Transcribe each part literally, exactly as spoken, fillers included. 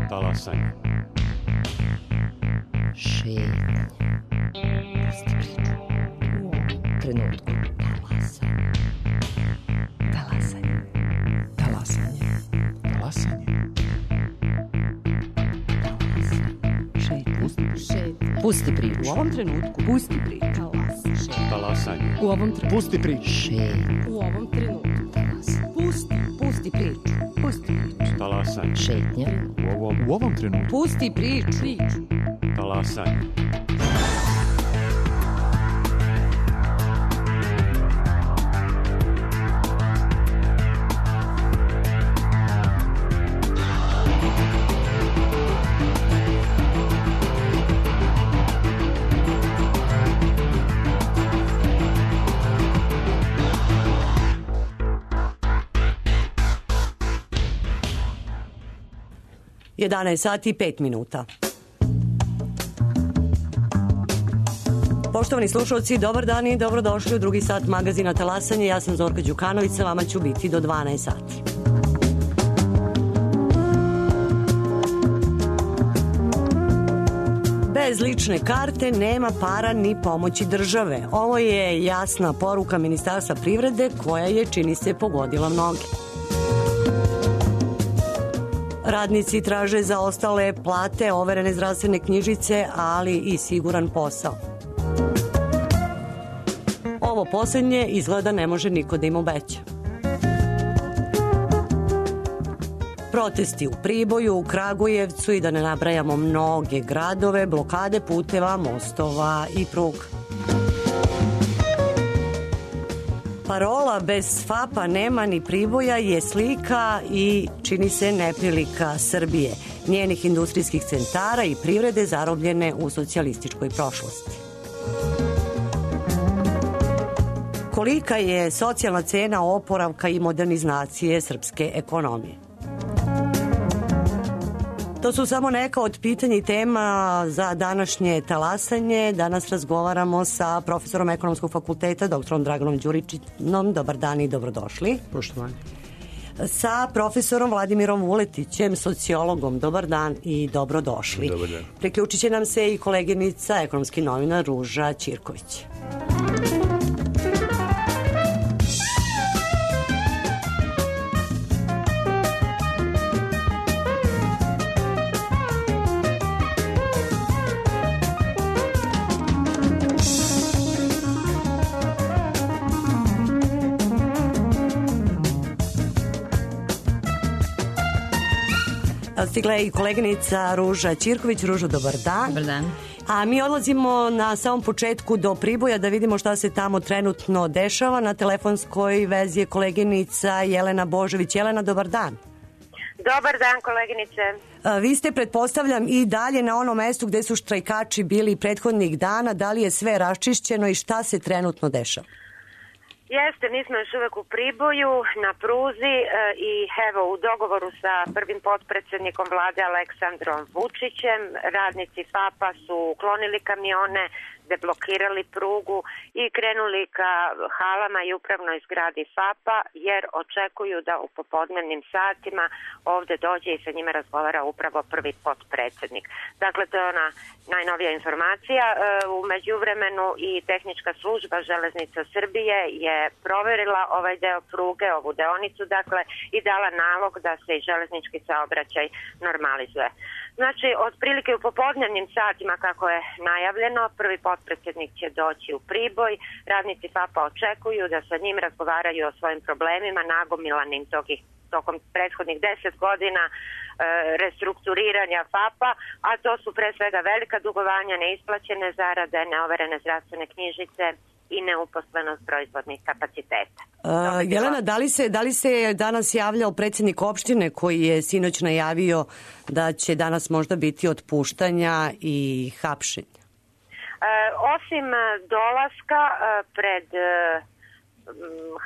Talasanje. Šetnje. Pusti priču. U ovom trenutku. Talasanje. Talasanje. Talasanje. Šetnje. Pusti priču. U ovom trenutku. Pusti priču. Talasanje. U ovom trenutku. Pusti priču. Šetnje. U ovom trenutku. Pusti. Pusti priču. Pusti priču. Talasanje. Šetnje. U ovom, u ovom trenutku. Pusti priču. Priču. Talasanje. jedanaest sati i pet minuta. Poštovani slušalci, dobar dan i dobrodošli u drugi sat magazina Talasanje. Ja sam Zorka Đukanović, sa vama ću biti do dvanaest sati. Bez lične karte nema para ni pomoći države. Ovo je jasna poruka Ministarstva privrede koja je, čini se, pogodila mnoge. Radnici traže za ostale plate, overene zdravstvene knjižice, ali i siguran posao. Ovo poslednje izgleda ne može niko da im obeća. Protesti u Priboju, u Kragujevcu i da ne nabrajamo mnoge gradove, blokade puteva, mostova i pruga. Parola bez F A P-a nema ni Priboja je slika i, čini se, neprilika Srbije, njenih industrijskih centara i privrede zarobljene u socijalističkoj prošlosti. Kolika je socijalna cena oporavka i modernizacije srpske ekonomije? To su samo neka od pitanja i tema za današnje talasanje. Danas razgovaramo sa profesorom Ekonomskog fakulteta, doktorom Draganom Đuričinom. Dobar dan i dobrodošli. Poštovanje. Sa profesorom Vladimirom Vuletićem, sociologom. Dobar dan i dobrodošli. Dobar dan. Priključit će nam se i koleginica, ekonomski novinar Ruža Ćirković. Stigla je i koleginica Ruža Ćirković. Ružo, dobar dan. Dobar dan. A mi odlazimo na samom početku do Priboja da vidimo šta se tamo trenutno dešava. Na telefonskoj vezi je koleginica Jelena Božović. Jelena, dobar dan. Dobar dan, koleginice. A, vi ste, pretpostavljam, i dalje na onom mestu gde su štrajkači bili prethodnih dana. Da li je sve raščišćeno i šta se trenutno dešava? Jeste, mi smo još uvek u Priboju, na pruzi e, i evo u dogovoru sa prvim potpredsednikom vlade Aleksandrom Vučićem, radnici F A P-a su uklonili kamione, deblokirali prugu i krenuli ka halama i upravnoj zgradi F A P-a jer očekuju da u popodnevnim satima ovde dođe i sa njima razgovara upravo prvi potpredsednik. Dakle, to je ona najnovija informacija. U međuvremenu i tehnička služba Železnica Srbije je proverila ovaj deo pruge, ovu deonicu, dakle, i dala nalog da se i železnički saobraćaj normalizuje. Znači, otprilike u popodnevnim satima, kako je najavljeno, prvi potpredsednik će doći u Priboj, radnici F A P-a očekuju da sa njim razgovaraju o svojim problemima nagomilanim togih, tokom prethodnih deset godina e, restrukturiranja F A P-a, a to su pre svega velika dugovanja, neisplaćene zarade, neoverene zdravstvene knjižice i neuposlenost proizvodnih kapaciteta. Uh, Jelena, da li, se, da li se danas javljao predsjednik opštine koji je sinoć najavio da će danas možda biti otpuštanja i hapšenja? Uh, osim dolaska uh, pred uh,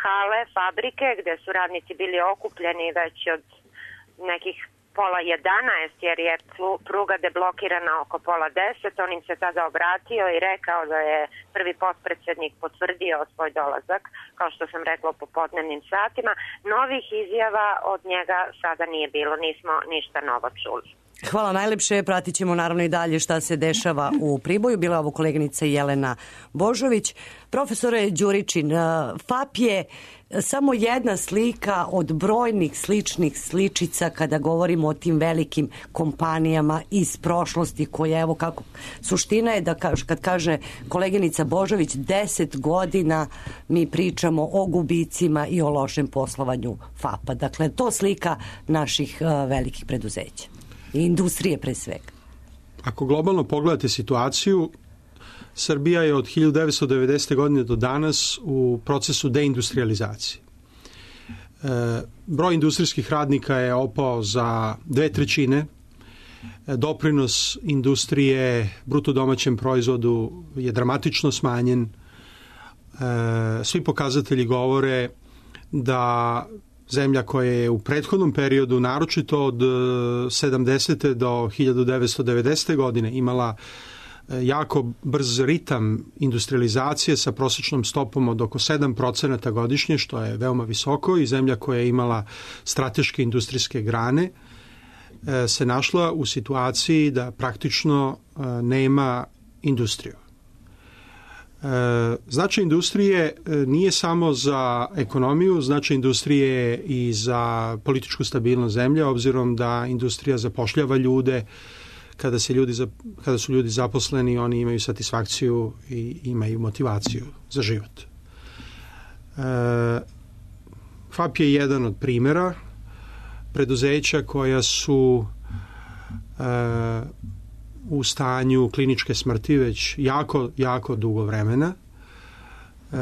hale, fabrike, gde su radnici bili okupljeni već od nekih pola jedanaest, jer je pruga deblokirana oko pola deset. On im se tada obratio i rekao da je prvi potpredsednik potvrdio svoj dolazak, kao što sam rekla, u popodnevnim satima. Novih izjava od njega sada nije bilo, nismo ništa novo čuli. Hvala najlepše, pratit ćemo naravno i dalje šta se dešava u Priboju. Bila je ovo koleginica Jelena Božović. Profesore Đuričin, F A P je samo jedna slika od brojnih sličnih sličica kada govorimo o tim velikim kompanijama iz prošlosti koje, evo kako, suština je da kad kaže koleginica Božović, deset godina mi pričamo o gubicima i o lošem poslovanju F A P-a. Dakle, to slika naših uh, velikih preduzeća i industrije pre svega. Ako globalno pogledate situaciju, Srbija je od hiljadu devetsto devedesete. godine do danas u procesu deindustrializacije. E, broj industrijskih radnika je opao za dve trećine. E, doprinos industrije bruto domaćem proizvodu je dramatično smanjen. E, svi pokazatelji govore da zemlja koja je u prethodnom periodu, naročito od sedamdesete. do hiljadu devetsto devedesete. godine imala jako brz ritam industrializacije sa prosječnom stopom od oko sedam procenata godišnje, što je veoma visoko, i zemlja koja je imala strateške industrijske grane se našla u situaciji da praktično nema industriju. Značaj industrije nije samo za ekonomiju, značaj industrije je i za političku stabilnost zemlje, obzirom da industrija zapošljava ljude. Kada, se ljudi, kada su ljudi zaposleni, oni imaju satisfakciju i imaju motivaciju za život. E, F A P je jedan od primjera preduzeća koja su e, u stanju kliničke smrti već jako, jako dugo vremena. E,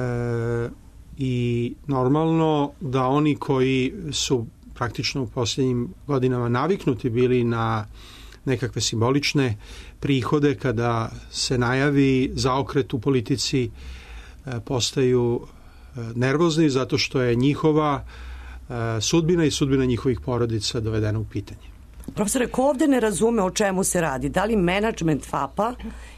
I normalno da oni koji su praktično u posljednjim godinama naviknuti bili na nekakve simbolične prihode, kada se najavi zaokret u politici, postaju nervozni zato što je njihova sudbina i sudbina njihovih porodica dovedena u pitanje. Profesore, ko ovde ne razume o čemu se radi? Da li menadžment F A P-a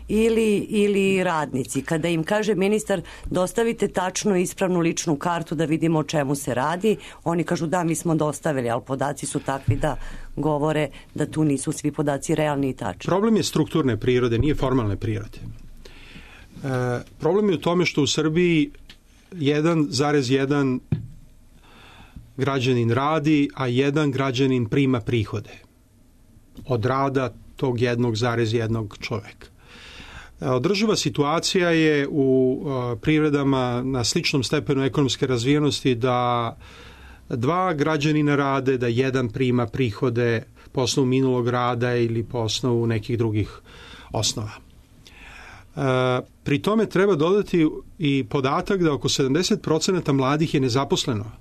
ili, ili radnici? Kada im kaže ministar dostavite tačnu ispravnu ličnu kartu da vidimo o čemu se radi, oni kažu da, mi smo dostavili, ali podaci su takvi da govore da tu nisu svi podaci realni i tačni. Problem je strukturne prirode, nije formalne prirode. E, problem je u tome što u Srbiji jedan zarez jedan građanin radi, a jedan građanin prima prihode od rada tog jednog zarez jednog čoveka. Održiva situacija je u privredama na sličnom stepenu ekonomske razvijenosti da dva građanina rade, da jedan prima prihode po osnovu minulog rada ili po osnovu nekih drugih osnova. Pri tome treba dodati i podatak da oko sedamdeset procenata mladih je nezaposleno.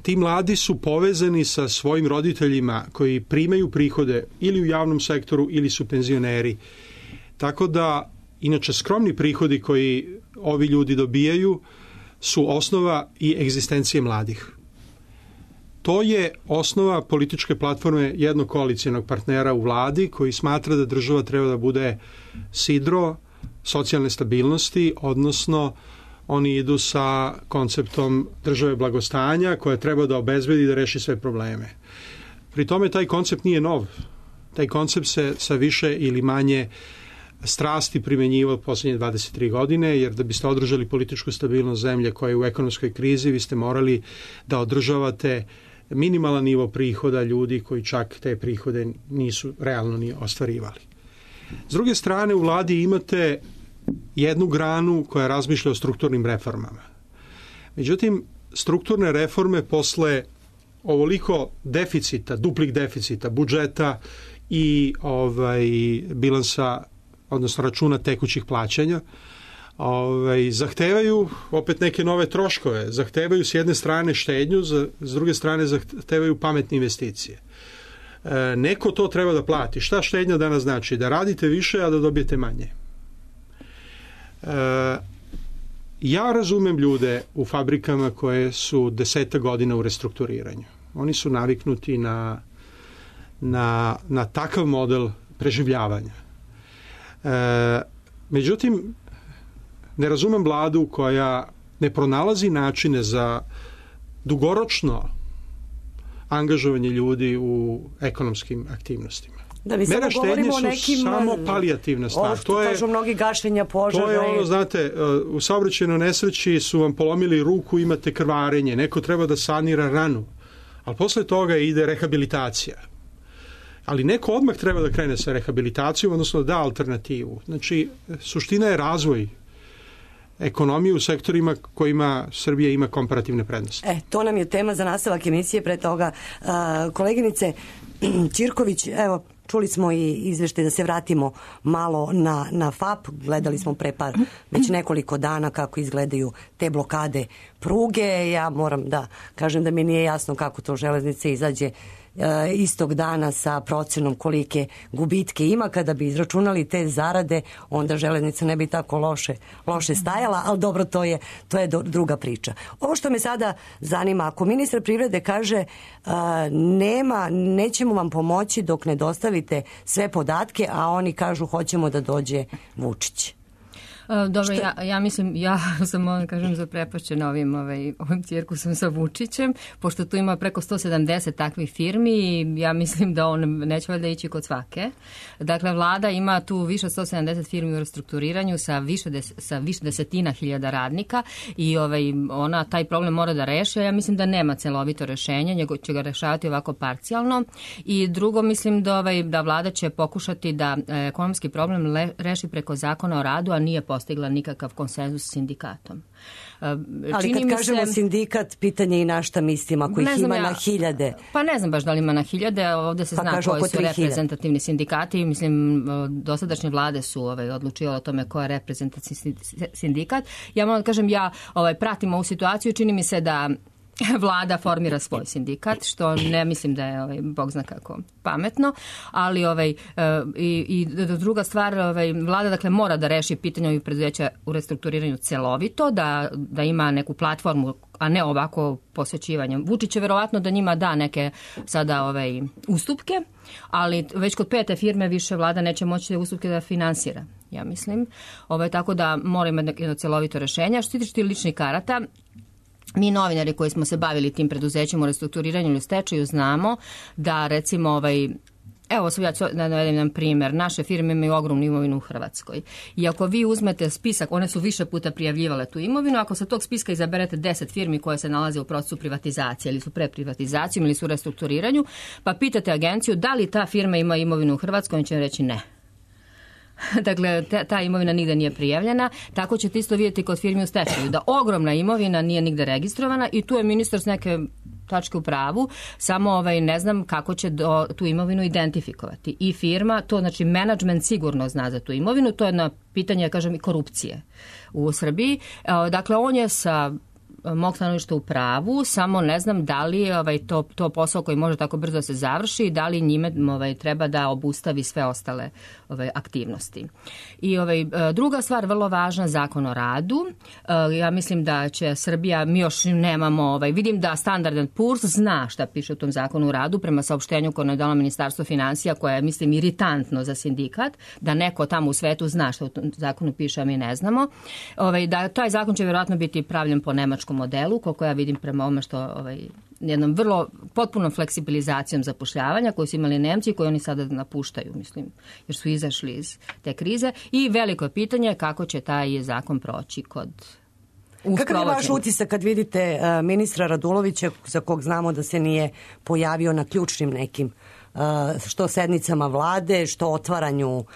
Ti mladi su povezani sa svojim roditeljima koji primaju prihode ili u javnom sektoru ili su penzioneri. Tako da, inače, skromni prihodi koji ovi ljudi dobijaju su osnova i egzistencije mladih. To je osnova političke platforme jednog koalicijonog partnera u vladi koji smatra da država treba da bude sidro socijalne stabilnosti, odnosno oni idu sa konceptom države blagostanja koja treba da obezbedi da reši sve probleme. Pri tome taj koncept nije nov. Taj koncept se sa više ili manje strasti primenjivao posljednje dvadeset tri godine, jer da biste održali političku stabilnost zemlje koja je u ekonomskoj krizi, vi ste morali da održavate minimalan nivo prihoda ljudi koji čak te prihode nisu realno ni ostvarivali. S druge strane, u vladi imate jednu granu koja razmišlja o strukturnim reformama. Međutim, strukturne reforme posle ovoliko deficita, duplih deficita, budžeta i ovaj, bilansa, odnosno računa tekućih plaćanja, ovaj, zahtevaju opet neke nove troškove. Zahtevaju s jedne strane štednju, za, s druge strane zahtevaju pametne investicije. E, neko to treba da plati. Šta štednja danas znači? Da radite više, a da dobijete manje. E, ja razumem ljude u fabrikama koje su deseta godina u restrukturiranju. Oni su naviknuti na na, na takav model preživljavanja. E, međutim, ne razumem vladu koja ne pronalazi načine za dugoročno angažovanje ljudi u ekonomskim aktivnostima. Da, mi samo govorimo o nekim... samo palijativna stvar. Ovo što kažu mnogi gašenja požara. To je ono, znate, u saobraćajnoj nesreći su vam polomili ruku, imate krvarenje, neko treba da sanira ranu, ali posle toga ide rehabilitacija. Ali neko odmah treba da krene sa rehabilitacijom, odnosno da alternativu. Znači, suština je razvoj ekonomije u sektorima kojima Srbija ima komparativne prednosti. E, to nam je tema za nastavak emisije. Pre toga, uh, koleginice Ćirković, evo, čuli smo i izveštaj, da se vratimo malo na, na F A P. Gledali smo pre par, već nekoliko dana kako izgledaju te blokade pruge. Ja moram da kažem da mi nije jasno kako to železnica izađe istog dana sa procenom kolike gubitke ima. Kada bi izračunali te zarade, onda železnica ne bi tako loše, loše stajala, ali dobro, to je, to je druga priča. Ovo što me sada zanima, ako ministar privrede kaže uh, nema, nećemo vam pomoći dok ne dostavite sve podatke, a oni kažu hoćemo da dođe Vučić. Dobro, ja, ja mislim, ja sam, ono kažem, zaprepašćena ovim, ovaj, ovim cirkusom sa Vučićem, pošto tu ima preko sto sedamdeset takvih firmi i ja mislim da on neće valjda ići kod svake. Dakle, vlada ima tu više od sto sedamdeset firmi u restrukturiranju sa više, des, sa više desetina hiljada radnika i ovaj, ona taj problem mora da reši, a ja mislim da nema celovito rešenje, nego će ga rešavati ovako parcijalno. I drugo, mislim da, ovaj, da vlada će pokušati da ekonomski problem le, reši preko zakona o radu, a nije postigla nikakav konsenzus s sindikatom. Ali Čini kad kažemo se, sindikat, pitanje i na šta mislim, ako ih ima ja, na hiljade. Pa ne znam baš da li ima na hiljade, ovde se pa zna koji su reprezentativni sindikati. Mislim, dosadašnje vlade su ovaj, odlučivale o tome ko je reprezentativni sindikat. Ja moram da kažem, ja ovaj, pratim ovu situaciju, čini mi se da vlada formira svoj sindikat, što ne mislim da je, ovaj, bog zna kako, pametno, ali ovaj, i, i druga stvar, ovaj, vlada dakle mora da reši pitanje ovih preduzeća u restrukturiranju celovito, da, da ima neku platformu, a ne ovako posvećivanje. Vučić je verovatno da njima da neke sada ovaj, ustupke, ali već kod pete firme više vlada neće moći te ustupke da finansira, ja mislim. Ovaj, tako da mora imati jedno celovito rešenje. Što se tiče ličnih karata, mi novinari koji smo se bavili tim preduzećima u restrukturiranju ili stečaju znamo da recimo ovaj, evo sad ja ću da navedem jedan primjer, naše firme imaju ogromnu imovinu u Hrvatskoj i ako vi uzmete spisak, one su više puta prijavljivale tu imovinu, ako sa tog spiska izaberete deset firmi koje se nalaze u procesu privatizacije ili su pre privatizacijom ili su u restrukturiranju, pa pitate agenciju da li ta firma ima imovinu u Hrvatskoj, on će reći ne. Dakle, ta, ta imovina nigde nije prijavljena, tako ćete isto vidjeti kod firmi u stečaju, da ogromna imovina nije nigde registrovana i tu je ministar s neke tačke u pravu, samo ovaj, ne znam kako će do, tu imovinu identifikovati. I firma, to znači menadžment sigurno zna za tu imovinu, to je na pitanje, kažem, i korupcije u Srbiji. Dakle, on je sa mog stanovišta u pravu, samo ne znam da li je ovaj, to, to posao koji može tako brzo da se završi i da li njime ovaj, treba da obustavi sve ostale ovaj, aktivnosti. I ovaj, druga stvar, vrlo važna, zakon o radu. Ja mislim da će Srbija, mi još nemamo, ovaj, vidim da Standard and Poor's zna šta piše u tom zakonu o radu, prema saopštenju koje je dalo Ministarstvo finansija, koje je, mislim, iritantno za sindikat, da neko tamo u svetu zna šta u tom zakonu piše, a mi ne znamo. Ovaj, da taj zakon će vjerojatno biti pravljen po nemačkom modelu, koliko ja vidim prema ovome što ovaj, jednom vrlo potpunom fleksibilizacijom zapošljavanja koju su imali Nemci i koji oni sada napuštaju, mislim, jer su izašli iz te krize. I veliko je pitanje kako će taj zakon proći kod Kakav je vaš utisak kad vidite uh, ministra Radulovića, za kog znamo da se nije pojavio na ključnim nekim uh, što sednicama vlade, što otvaranju uh,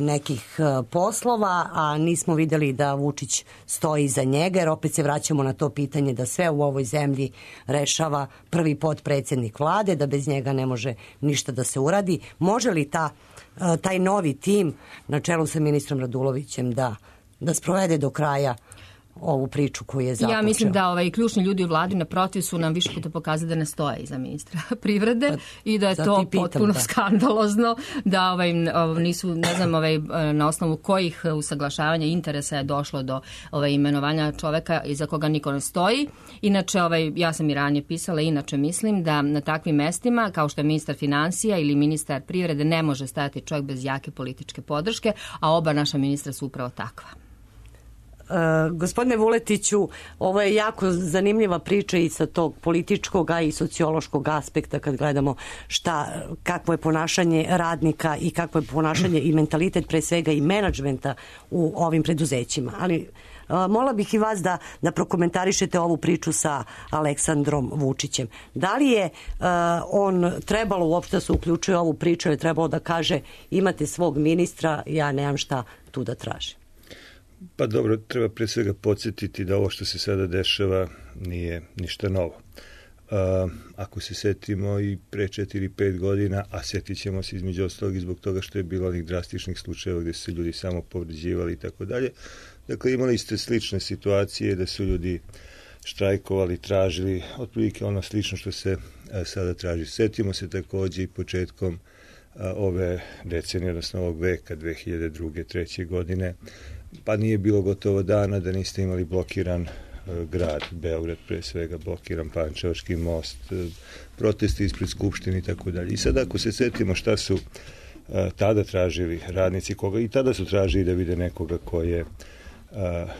nekih uh, poslova, a nismo vidjeli da Vučić stoji iza njega, jer opet se vraćamo na to pitanje da sve u ovoj zemlji rešava prvi potpredsjednik vlade, da bez njega ne može ništa da se uradi. Može li ta, uh, taj novi tim na čelu sa ministrom Radulovićem da, da sprovede do kraja ovu priču koju je započeo? Ja mislim da ovaj, ključni ljudi u vladi naprotiv su nam više puta pokazali da ne stoje iza ministra privrede pa, i da je to pitam, potpuno da. skandalozno, da ovaj, nisu, ne znam ovaj, na osnovu kojih usaglašavanja interesa je došlo do ovaj, imenovanja čoveka iza koga niko ne stoji. Inače, ovaj, ja sam i ranije pisala, inače mislim da na takvim mestima, kao što je ministar financija ili ministar privrede, ne može stajati čovjek bez jake političke podrške, a oba naša ministra su upravo takva. Uh, gospodine Vuletiću, ovo je jako zanimljiva priča i sa tog političkog, a i sociološkog aspekta kad gledamo šta, kakvo je ponašanje radnika i kakvo je ponašanje i mentalitet pre svega i menadžmenta u ovim preduzećima. Ali uh, mola bih i vas da, da prokomentarišete ovu priču sa Aleksandrom Vučićem. Da li je uh, on trebalo uopšte da se uključuje u ovu priču, je trebalo da kaže imate svog ministra, ja nemam šta tu da tražim? Pa dobro, treba pre svega podsjetiti da ovo što se sada dešava nije ništa novo. Uh, ako se setimo i pre četiri pet godina, a setit ćemo se između ostalog i zbog toga što je bilo onih drastičnih slučajeva gdje su se ljudi samo povređivali i tako dalje. Dakle, imali ste slične situacije da su ljudi štrajkovali, tražili, otprilike ono slično što se a, sada traži. Setimo se također i početkom a, ove decenije, odnosno ovog veka, dve hiljade druge treće godine, pa nije bilo gotovo dana da niste imali blokiran uh, grad, Beograd pre svega, blokiran Pančevački most, uh, protesti ispred Skupštine i tako dalje. I sad ako se setimo šta su uh, tada tražili radnici, koga i tada su tražili da vide nekoga ko je, uh,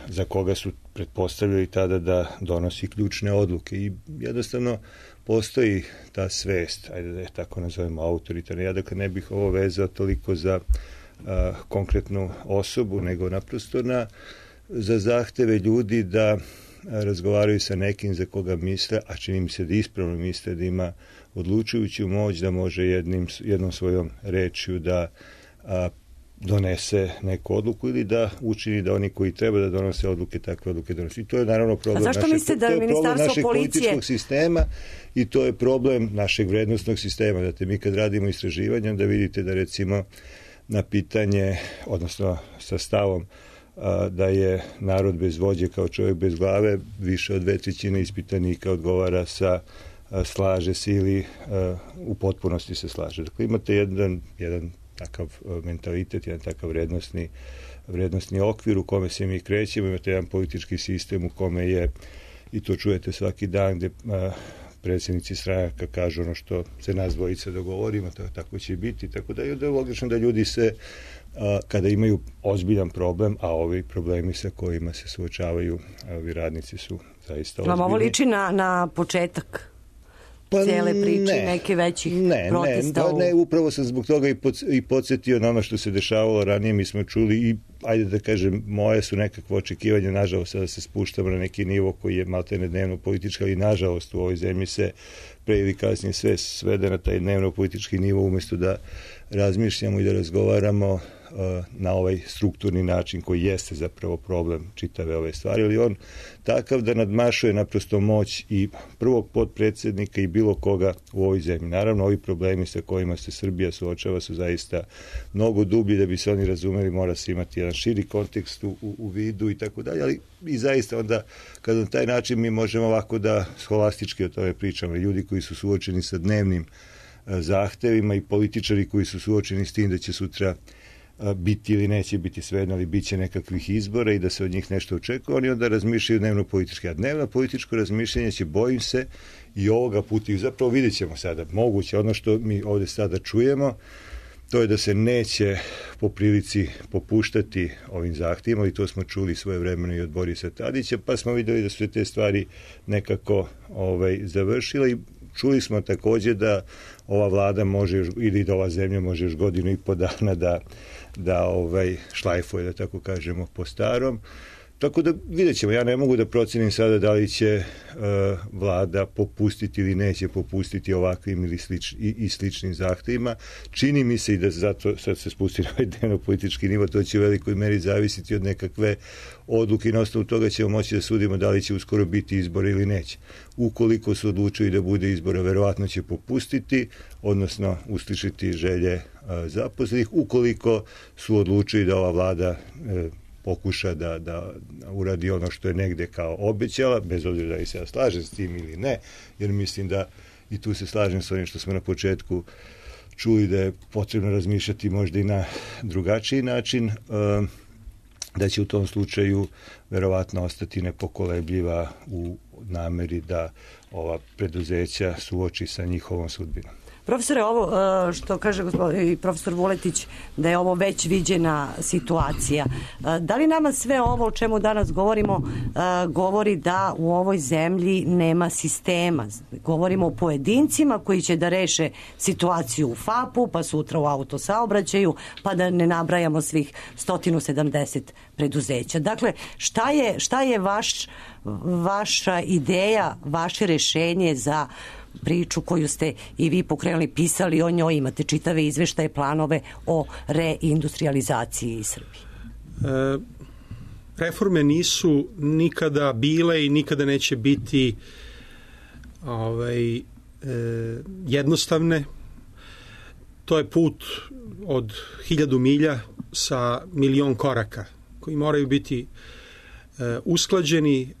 za koga su pretpostavljali tada da donosi ključne odluke i jednostavno postoji ta svest, ajde da je tako nazovemo autoritarna. Ja dakle ne bih ovo vezao toliko za A, konkretnu osobu, nego naprosto na, za zahteve ljudi da a, razgovaraju sa nekim za koga misle, a čini mi se da ispravno misle da ima odlučujuću moć da može jednim, jednom svojom rečju da a, donese neku odluku ili da učini da oni koji treba da donose odluke, takve odluke donose. I to je naravno problem, naše, da to je problem našeg policije... političkog sistema i to je problem našeg vrednostnog sistema. Znate, mi kad radimo istraživanje, onda vidite da recimo na pitanje, odnosno sa stavom a, da je narod bez vođe kao čovjek bez glave, više od dve trećine ispitanika odgovara sa a, slaže se ili a, u potpunosti se slaže. Dakle, imate jedan, jedan takav a, mentalitet, jedan takav vrednostni, vrednostni okvir u kome se mi krećemo, imate jedan politički sistem u kome je, i to čujete svaki dan, gde a, predsjednici stranaka kažu ono što se nas dvojica dogovorimo, to, tako će biti, tako da je da logično da ljudi se, a, kada imaju ozbiljan problem, a ovi problemi sa kojima se suočavaju ovi radnici su zaista ozbiljni. Vam ovo liči na, na početak pa cijele priče, ne, neke većih ne, protesta? Ne, u... ne, upravo sam zbog toga i, pod, i podsjetio na ono što se dešavalo ranije, mi smo čuli i, ajde da kažem, moje su nekakve očekivanja, nažalost, sada se spuštamo na neki nivo koji je maltene dnevno politički, ali nažalost u ovoj zemlji se pre ili kasnije sve svede na taj dnevno politički nivo, umjesto da razmišljamo i da razgovaramo na ovaj strukturni način koji jeste zapravo problem čitave ove stvari, ali on takav da nadmašuje naprosto moć i prvog potpredsjednika i bilo koga u ovoj zemlji. Naravno, ovi problemi sa kojima se Srbija suočava su zaista mnogo dublji, da bi se oni razumeli, mora se imati jedan širi kontekst u, u vidu i tako dalje, ali i zaista onda, kada na taj način mi možemo ovako da scholastički o tome pričamo, ljudi koji su suočeni sa dnevnim zahtevima i političari koji su suočeni s tim da će sutra biti ili neće biti svejedno, ali bit će nekakvih izbora i da se od njih nešto očekuje, oni onda razmišljaju dnevno politički. A dnevno političko razmišljanje će, bojim se, i ovoga puta, i zapravo vidjet ćemo sada, moguće, ono što mi ovdje sada čujemo, to je da se neće po prilici popuštati ovim zahtjevima, i to smo čuli svoje vremeno i od Borisa Tadića, pa smo vidjeli da su te stvari nekako ovaj, završile i čuli smo također da ova vlada može, ili da ova zemlja može još godinu i po dana da, da ovaj, šlajfuje, da tako kažemo, po starom. Tako da vidjet ćemo, ja ne mogu da procenim sada da li će uh, vlada popustiti ili neće popustiti ovakvim ili slič, i, i sličnim zahtevima. Čini mi se i da zato sad se spusti na ovaj dnevno politički nivo, to će u velikoj meri zavisiti od nekakve odluke i na osnovu toga ćemo moći da sudimo da li će uskoro biti izbor ili neće. Ukoliko su odlučili da bude izbora, verovatno će popustiti, odnosno uslišiti želje uh, zaposlenih. Ukoliko su odlučili da ova vlada uh, pokuša da, da uradi ono što je negde kao obećala, bez obzira da li se ja slažem s tim ili ne, jer mislim da i tu se slažem s onim što smo na početku čuli da je potrebno razmišljati možda i na drugačiji način, da će u tom slučaju verovatno ostati nepokolebljiva u nameri da ova preduzeća suoči sa njihovom sudbinom. Profesore, ovo što kaže gospodin profesor Vuletić, da je ovo već viđena situacija. Da li nama sve ovo o čemu danas govorimo govori da u ovoj zemlji nema sistema? Govorimo o pojedincima koji će da reše situaciju u FAP-u, pa sutra u autosaobraćaju, pa da ne nabrajamo svih sto sedamdeset preduzeća. Dakle, šta je, šta je vaš, vaša ideja, vaše rešenje za priču koju ste i vi pokrenuli, pisali o njoj, imate čitave izveštaje, planove o reindustrializaciji Srbije? E, reforme nisu nikada bile i nikada neće biti ovaj, e, jednostavne. To je put od hiljadu milja sa milion koraka koji moraju biti usklađeni,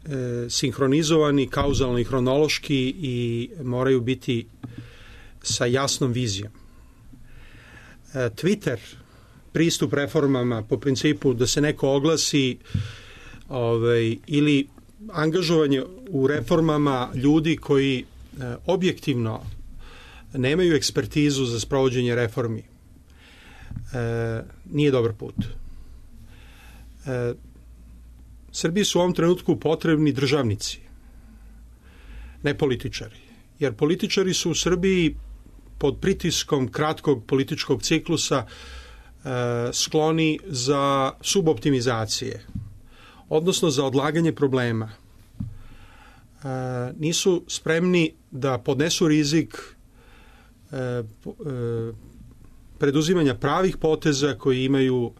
sinhronizovani, kauzalno i hronološki i moraju biti sa jasnom vizijom. Twitter, pristup reformama po principu da se neko oglasi ovaj, ili angažovanje u reformama ljudi koji objektivno nemaju ekspertizu za sprovođenje reformi, nije dobar put. Srbiji su u ovom trenutku potrebni državnici, ne političari. Jer političari su u Srbiji pod pritiskom kratkog političkog ciklusa e, skloni za suboptimizacije, odnosno za odlaganje problema. E, nisu spremni da podnesu rizik e, e, preduzimanja pravih poteza koji imaju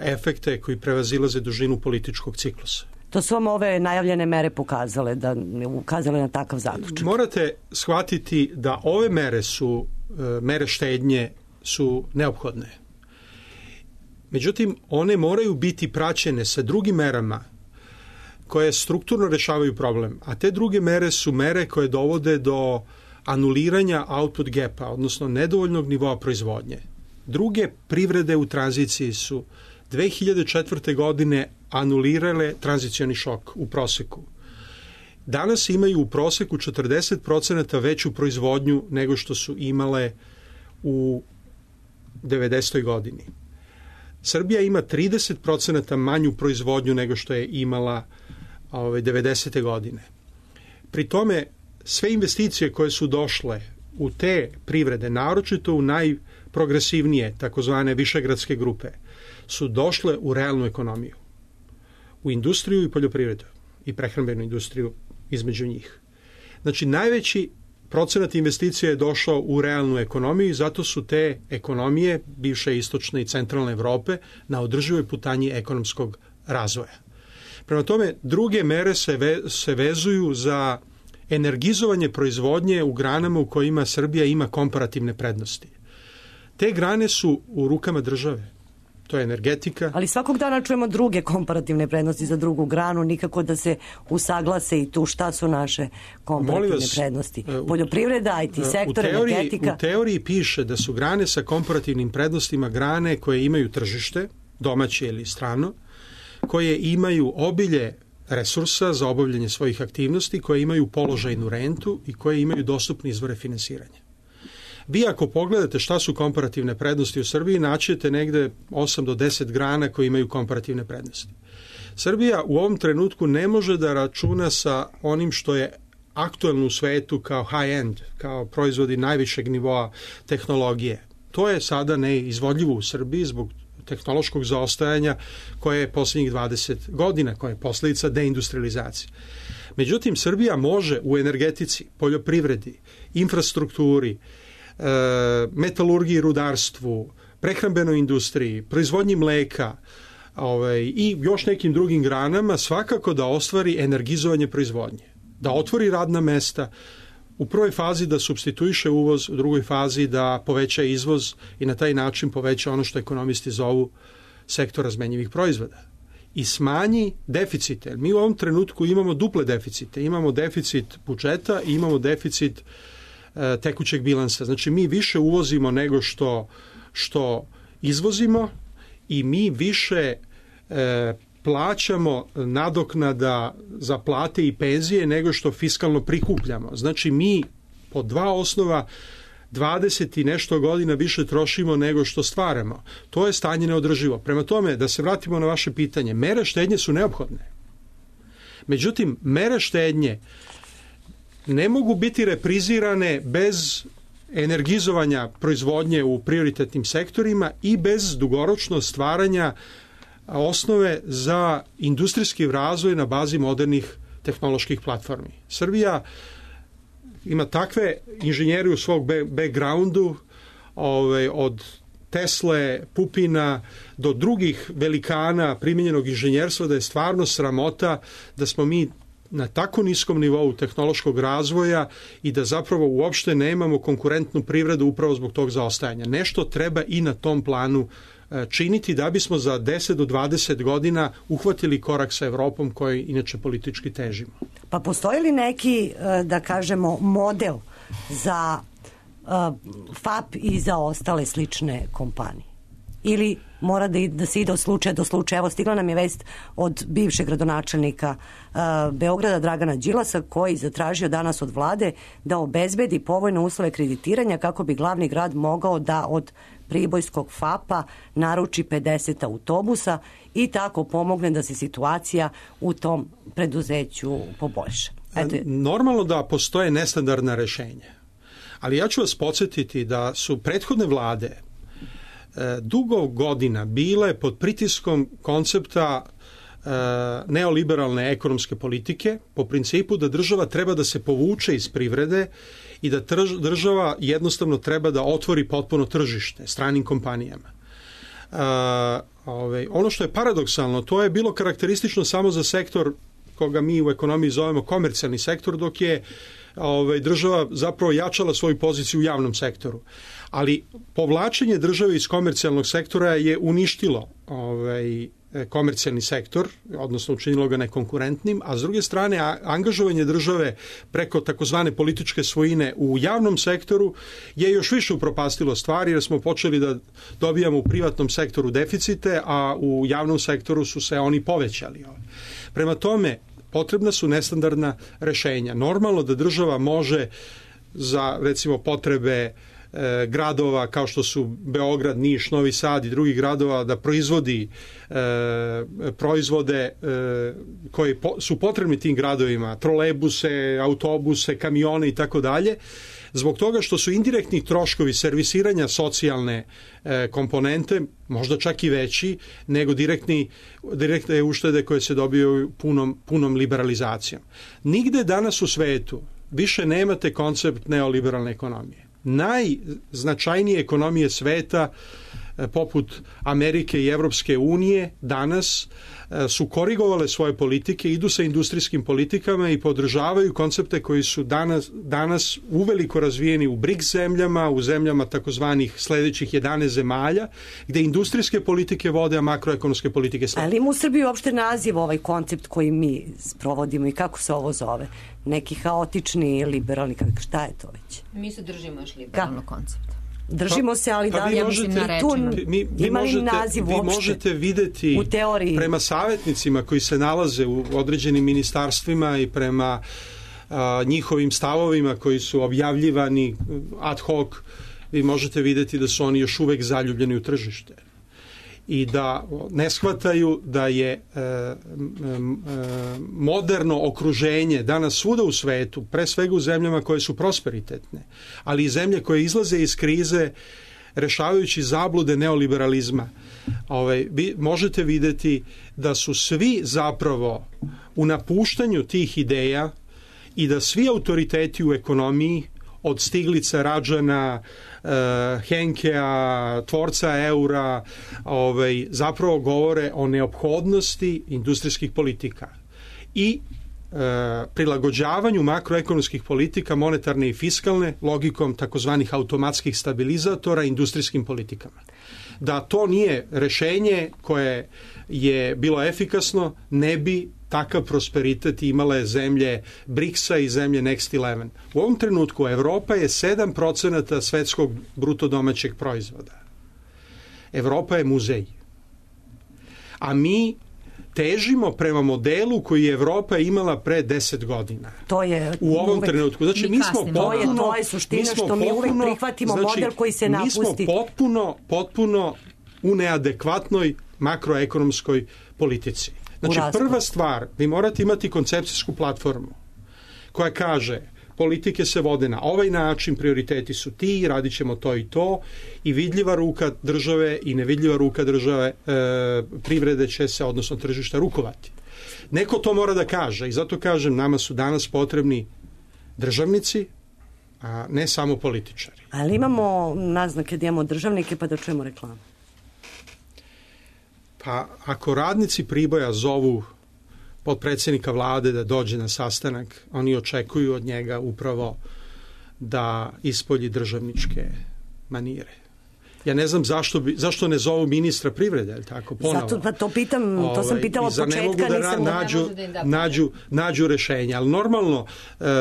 efekte koji prevazilaze dužinu političkog ciklusa. To su vam ove najavljene mere pokazale, da ukazale na takav zaključak. Morate shvatiti da ove mere su, mere štednje su neophodne. Međutim, one moraju biti praćene sa drugim merama koje strukturno rešavaju problem, a te druge mere su mere koje dovode do anuliranja output gapa, odnosno nedovoljnog nivoa proizvodnje. Druge privrede u tranziciji su dve hiljade četvrte. godine anulirale tranzicioni šok u proseku. Danas imaju u proseku četrdeset procenata veću proizvodnju nego što su imale u devedesetoj. godini. Srbija ima trideset procenata manju proizvodnju nego što je imala ove, devedesete. godine. Pri tome sve investicije koje su došle u te privrede, naročito u najprogresivnije, takozvane višegradske grupe, su došle u realnu ekonomiju, u industriju i poljoprivredu i prehrambenu industriju između njih. Znači, najveći procenat investicija je došao u realnu ekonomiju i zato su te ekonomije, bivše istočne i centralne Evrope, na održivoj putanji ekonomskog razvoja. Prema tome, druge mere se, ve, se vezuju za energizovanje proizvodnje u granama u kojima Srbija ima komparativne prednosti. Te grane su u rukama države. To je energetika. Ali svakog dana čujemo druge komparativne prednosti za drugu granu, nikako da se usaglase i tu šta su naše komparativne vas, prednosti. Poljoprivreda, I T sektor, u teoriji, energetika. U teoriji piše da su grane sa komparativnim prednostima grane koje imaju tržište, domaće ili strano, koje imaju obilje resursa za obavljanje svojih aktivnosti, koje imaju položajnu rentu i koje imaju dostupne izvore finansiranja. Vi ako pogledate šta su komparativne prednosti u Srbiji, naćete negde osam do deset grana koje imaju komparativne prednosti. Srbija u ovom trenutku ne može da računa sa onim što je aktuelno u svetu kao high-end, kao proizvodi najvišeg nivoa tehnologije. To je sada neizvodljivo u Srbiji zbog tehnološkog zaostajanja koje je posljednjih dvadeset godina, koje je posljedica deindustrializacije. Međutim, Srbija može u energetici, poljoprivredi, infrastrukturi, metalurgiji, rudarstvu, prehrambenoj industriji, proizvodnji mleka ovaj, i još nekim drugim granama svakako da ostvari energizovanje proizvodnje, da otvori radna mesta, u prvoj fazi da supstituiše uvoz, u drugoj fazi da poveća izvoz i na taj način poveća ono što ekonomisti zovu sektor razmenjivih proizvoda. i smanji deficite. Mi u ovom trenutku imamo duple deficite. Imamo deficit budžeta i imamo deficit e, tekućeg bilansa. Znači mi više uvozimo nego što, što izvozimo i mi više e, plaćamo nadoknada za plate i penzije nego što fiskalno prikupljamo. Znači mi po dva osnova dvadeset i nešto godina više trošimo nego što stvaramo. To je stanje neodrživo. Prema tome, da se vratimo na vaše pitanje, mere štednje su neophodne. Međutim, mere štednje ne mogu biti reprizirane bez energizovanja proizvodnje u prioritetnim sektorima i bez dugoročno stvaranja osnove za industrijski razvoj na bazi modernih tehnoloških platformi. Srbija ima takve inženjeri u svog backgroundu, ovaj, od Tesle, Pupina do drugih velikana primjenjenog inženjerstva, da je stvarno sramota da smo mi na tako niskom nivou tehnološkog razvoja i da zapravo uopšte nemamo konkurentnu privredu upravo zbog tog zaostajanja. Nešto treba i na tom planu činiti da bismo za deset do dvadeset godina uhvatili korak sa Evropom koji inače politički težimo. Pa postoji li neki, da kažemo, model za F A P i za ostale slične kompanije? Ili mora da, da se ide od slučaja do slučaja? Evo, stigla nam je vest od bivšeg gradonačelnika uh, Beograda Dragana Đilasa, koji zatražio danas od vlade da obezbedi povoljne uslove kreditiranja kako bi glavni grad mogao da od pribojskog F A P-a naruči pedeset autobusa i tako pomogne da se situacija u tom preduzeću poboljša. Eto je. Normalno da postoje nestandardna rešenja, ali ja ću vas podsjetiti da su prethodne vlade e, dugo godina bile pod pritiskom koncepta e, neoliberalne ekonomske politike po principu da država treba da se povuče iz privrede i da trž, država jednostavno treba da otvori potpuno tržište stranim kompanijama. E, ove, ono što je paradoksalno, to je bilo karakteristično samo za sektor koga mi u ekonomiji zovemo komercijalni sektor, dok je ovaj, država zapravo jačala svoju poziciju u javnom sektoru. Ali povlačenje države iz komercijalnog sektora je uništilo ovaj, komercijalni sektor, odnosno učinilo ga nekonkurentnim, a s druge strane angažovanje države preko takozvane političke svojine u javnom sektoru je još više upropastilo stvari, jer smo počeli da dobijamo u privatnom sektoru deficite, a u javnom sektoru su se oni povećali. Prema tome, potrebna su nestandardna rešenja. Normalno da država može za, recimo, potrebe e, gradova kao što su Beograd, Niš, Novi Sad i drugih gradova da proizvodi e, proizvode e, koji po, su potrebni tim gradovima, trolejbuse, autobuse, kamione i tako dalje, zbog toga što su indirektni troškovi servisiranja socijalne e, komponente možda čak i veći nego direktni, direktne uštede koje se dobiju punom, punom liberalizacijom. Nigde danas u svetu više nemate koncept neoliberalne ekonomije. Najznačajnije ekonomije sveta poput Amerike i Evropske unije danas su korigovale svoje politike, idu sa industrijskim politikama i podržavaju koncepte koji su danas, danas uveliko razvijeni u BRICS zemljama, u zemljama takozvanih sledećih jedanaest zemalja, gde industrijske politike vode, a makroekonomske politike slede. Ali ima u Srbiji uopšte naziv ovaj koncept koji mi sprovodimo i kako se ovo zove? Neki haotični, liberalni, šta je to već? Mi se držimo još liberalnog koncepta. Držimo se, ali pa, da li ja možete, tu mi, vi ima li možete, naziv vi uopšte? možete videti u teoriji prema savjetnicima koji se nalaze u određenim ministarstvima i prema a, njihovim stavovima koji su objavljivani ad hoc, vi možete videti da su oni još uvek zaljubljeni u tržište i da ne shvataju da je e, e, moderno okruženje danas svuda u svetu, pre svega u zemljama koje su prosperitetne, ali i zemlje koje izlaze iz krize rešavajući zablude neoliberalizma. Ovaj, vi možete videti da su svi zapravo u napuštanju tih ideja i da svi autoriteti u ekonomiji od Stiglica, Rađana, uh, Henkea, tvorca eura, ovaj, zapravo govore o neophodnosti industrijskih politika i uh, prilagođavanju makroekonomskih politika, monetarne i fiskalne, logikom takozvanih automatskih stabilizatora industrijskim politikama. da to nije rešenje koje je bilo efikasno, ne bi takav prosperitet imale zemlje briksa i zemlje Next eleven. U ovom trenutku Evropa je sedam procenata svetskog bruto domaćeg proizvoda. Evropa je muzej. A mi težimo prema modelu koji je Evropa imala pre deset godina. To je u ovom uvek, trenutku. Znači, mi, mi smo potpuno... To je, to je suština što potpuno, mi uvek prihvatimo znači, model koji se napusti. Mi smo potpuno, potpuno u neadekvatnoj makroekonomskoj politici. Znači, prva stvar, vi morate imati koncepcijsku platformu koja kaže politike se vode na ovaj način, prioriteti su ti, radit ćemo to i to i vidljiva ruka države i nevidljiva ruka države e, privrede će se, odnosno tržišta, rukovati. Neko to mora da kaže i zato kažem, nama su danas potrebni državnici, a ne samo političari. Ali imamo naznake da imamo državnike, pa da čujemo reklamu. Pa ako radnici Priboja zovu potpredsjednika vlade da dođe na sastanak, oni očekuju od njega upravo da ispolji državničke manire. Ja ne znam zašto, bi, zašto ne zovu ministra privrede, je li tako, ponovo? Zato pa to pitam, to sam pitala od početka. Ne mogu da nisam nađu, nađu, nađu rešenje, ali normalno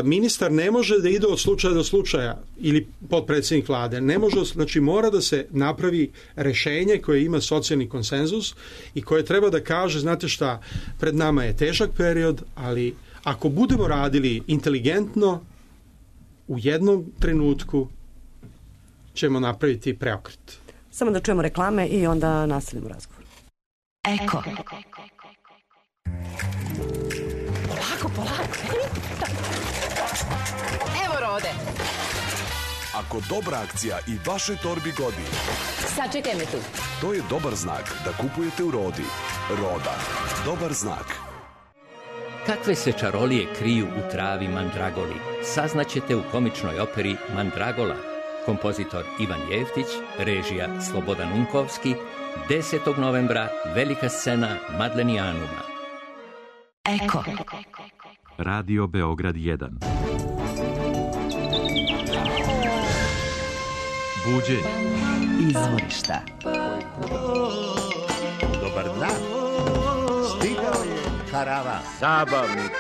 ministar ne može da ide od slučaja do slučaja ili potpredsjednik vlade, ne može, znači mora da se napravi rešenje koje ima socijalni konsenzus i koje treba da kaže, znate šta, pred nama je težak period, ali ako budemo radili inteligentno, u jednom trenutku ćemo napraviti preokret. Samo da čujemo reklame i onda nastavimo razgovor. Eko. Polako, polako. Evo Rode. Ako dobra akcija i vaše torbi godi, sačekaj me tu. To je dobar znak da kupujete u Rodi. Roda. Dobar znak. Kakve se čarolije kriju u travi mandragoli, saznaćete u komičnoj operi Mandragola. Kompozitor Ivan Jeftić, režija Slobodan Unkovski, desetog novembra, velika scena Madlenijanuma. Eko. Radio Beograd jedan. Buđenje. Izvorišta. Dobar dan. Stigao je karavan. Zabavnik.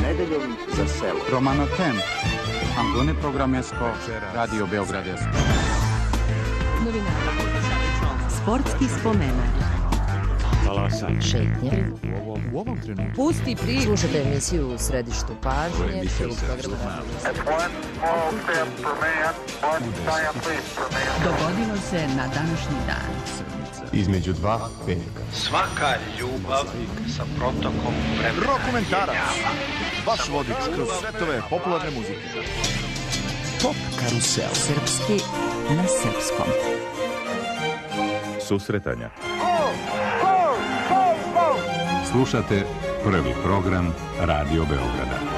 Nedeljom za selo. Romano Tem. Ambune Programesko, Radio Beograd. Sportski spomenak. Talasanje. Šetnje. U ovom, u ovom trenutku. Pusti priču. Slušajte emisiju u središtu pažnje. Dogodilo se na današnji dan. Između dva veka. Svaka ljubav sa protokom vremena. Rokomentarac. Vaš vodič kroz svetove popularne muzike. Top karusel. Srpski na srpskom. Susretanja. Slušate prvi program Radio Beograda.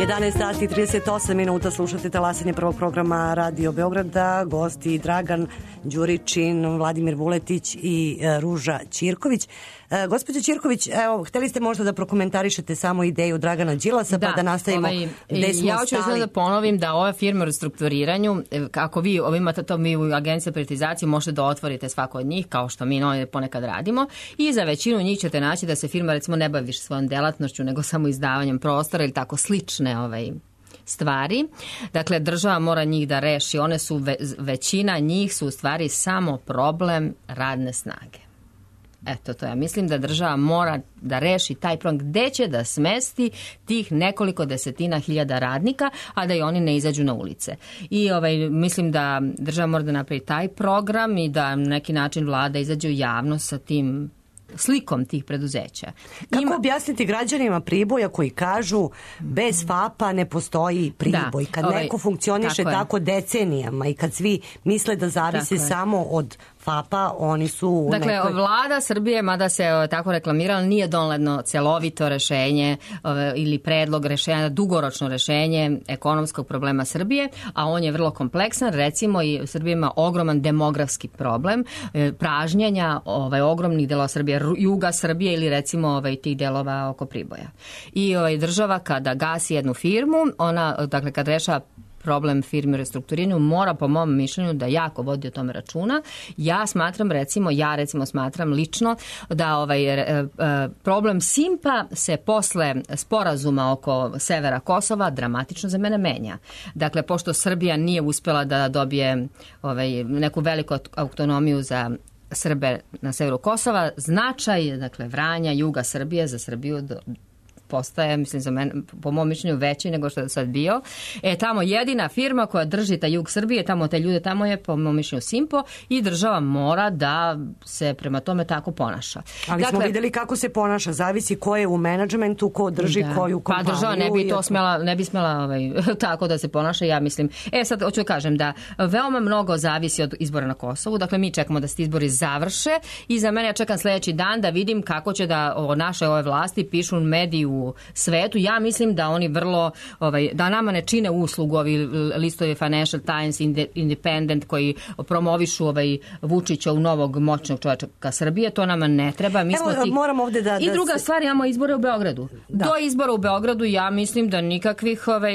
jedanaest sati i trideset osam minuta, slušate talasanje prvog programa Radio Beograda, gosti Dragan Đuričin, Vladimir Vuletić i e, Ruža Ćirković. E, gospođo Ćirković, evo, hteli ste možda da prokomentarišete samo ideju Dragana Đilasa, da, pa da nastavimo ovaj, gde smo ja hoću stali. Da ponovim da ova firma u restrukturiranju, ako vi imate to, mi u Agenciji privatizacije možete da otvorite svako od njih, kao što mi no, ponekad radimo, i za većinu njih ćete naći da se firma recimo ne bavi više svojom delatnošću, nego samo izdavanjem prostora ili tako slične ovaj, stvari. Dakle, država mora njih da reši. One su, ve, većina njih su u stvari samo problem radne snage. Eto, to ja mislim da država mora da reši taj problem gde će da smesti tih nekoliko desetina hiljada radnika, a da i oni ne izađu na ulice. I ovaj, mislim da država mora da napravi taj program i da na neki način vlada izađe u javnost sa tim slikom tih preduzeća. Kako Ima... objasniti građanima Priboja koji kažu bez FAP-a ne postoji Priboj? Da, kad ovaj, neko funkcioniše tako, tako decenijama i kad svi misle da zavisi samo od FAPA, oni su u Dakle, nekoj... vlada Srbije, mada se o, tako reklamirala, nije donedno celovito rešenje o, ili predlog rešenja, dugoročno rešenje ekonomskog problema Srbije, a on je vrlo kompleksan. Recimo, i Srbija ima ogroman demografski problem, e, pražnjenja ovaj, ogromnih delova Srbije, juga Srbije ili recimo ovaj, tih delova oko Priboja. I ovaj, država kada gasi jednu firmu, ona, dakle, kad rešava problem firme u restrukturiranju, mora po mom mišljenju da jako vodi o tome računa. Ja smatram recimo, ja recimo smatram lično da ovaj e, e, problem Simpa se posle sporazuma oko severa Kosova dramatično za mene menja. Dakle, pošto Srbija nije uspela da dobije ovaj, neku veliku autonomiju za Srbe na severu Kosova, značaj, dakle, Vranja, juga Srbije za Srbiju do, postaje, mislim, za mene, po mom mišljenju veći nego što je sad bio. E, tamo jedina firma koja drži taj jug Srbije, tamo te ljude, tamo je, po mom mišljenju, Simpo i država mora da se prema tome tako ponaša. Ali dakle, smo videli kako se ponaša, zavisi ko je u menadžmentu, ko drži da. koju kompaniju. Pa država ne bi to smela, ne bi smela ovaj, tako da se ponaša, ja mislim. E, sad hoću da kažem da veoma mnogo zavisi od izbora na Kosovu, dakle mi čekamo da se izbori završe i za mene ja čekam sledeći dan da vidim kako će da o naše ove vlasti pišu mediju u svetu. Ja mislim da oni vrlo, ovaj, da nama ne čine uslugu ovi listovi Financial Times, Independent koji promovišu ovaj Vučića u novog moćnog čovjeka Srbije, to nama ne treba. Mi Evo, smo ti... moram ovde da... I druga da... stvar, imamo izbore u Beogradu. Da. Do izbora u Beogradu ja mislim da nikakvih ovaj,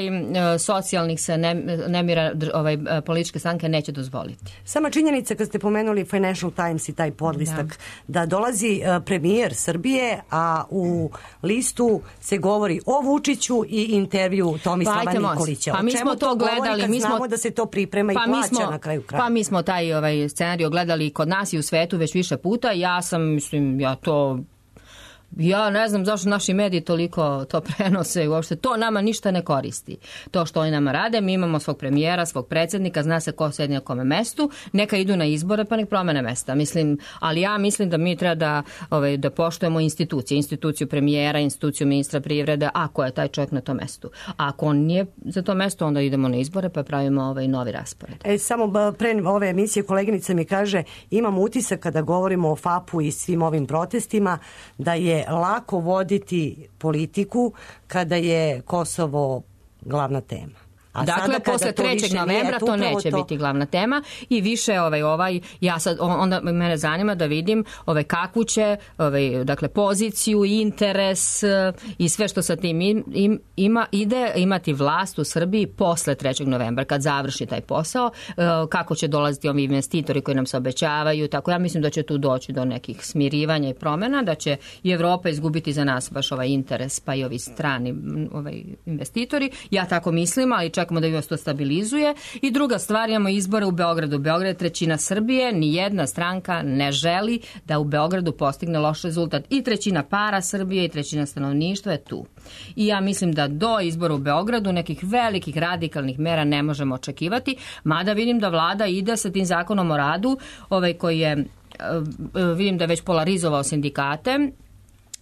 socijalnih se ne, nemira ovaj, političke stranke neće dozvoliti. Sama činjenica kad ste pomenuli Financial Times i taj podlistak, da, da dolazi premijer Srbije, a u listu se govori o Vučiću i intervju Tomislava pa, Nikolića. Pa mi smo to gledali, kad mi smo znamo da se to priprema i pa plaća mi smo, na kraju kraja. Pa mi smo taj ovaj scenarij gledali kod nas i u svetu već više puta. Ja sam, mislim, ja to Ja ne znam zašto naši mediji toliko to prenose i uopšte to nama ništa ne koristi. To što oni nama rade, mi imamo svog premijera, svog predsjednika, zna se ko sedi na kome mestu, neka idu na izbore pa nek promene mesta. Mislim, ali ja mislim da mi treba da, ovaj, da poštujemo institucije, instituciju premijera, instituciju ministra privrede, ako je taj čovjek na tom mestu. A ako on nije za to mesto, onda idemo na izbore pa pravimo ovaj novi raspored. E, samo pre ove emisije koleginica mi kaže, imam utisak kada govorimo o FAP-u i svim ovim protestima, da je lako voditi politiku kada je Kosovo glavna tema. A dakle, posle trećeg novembra to neće to... biti glavna tema i više ovaj, ovaj, ja sad, onda mene zanima da vidim ovaj, kakvu će ovaj, dakle, poziciju, interes i sve što sa tim im, ima, ide imati vlast u Srbiji posle trećeg novembra, kad završi taj posao, kako će dolaziti ovi investitori koji nam se obećavaju, tako ja mislim da će tu doći do nekih smirivanja i promjena, da će i Evropa izgubiti za nas baš ovaj interes, pa i ovi strani ovaj, investitori. Ja tako mislim, ali čak čekamo da se to stabilizuje. I druga stvar, imamo izbore u Beogradu. Beograd je trećina Srbije, ni jedna stranka ne želi da u Beogradu postigne loš rezultat. I trećina para Srbije i trećina stanovništva je tu. I ja mislim da do izbora u Beogradu nekih velikih radikalnih mera ne možemo očekivati, mada vidim da vlada ide sa tim zakonom o radu, ovaj koji je, vidim da je već polarizovao sindikate.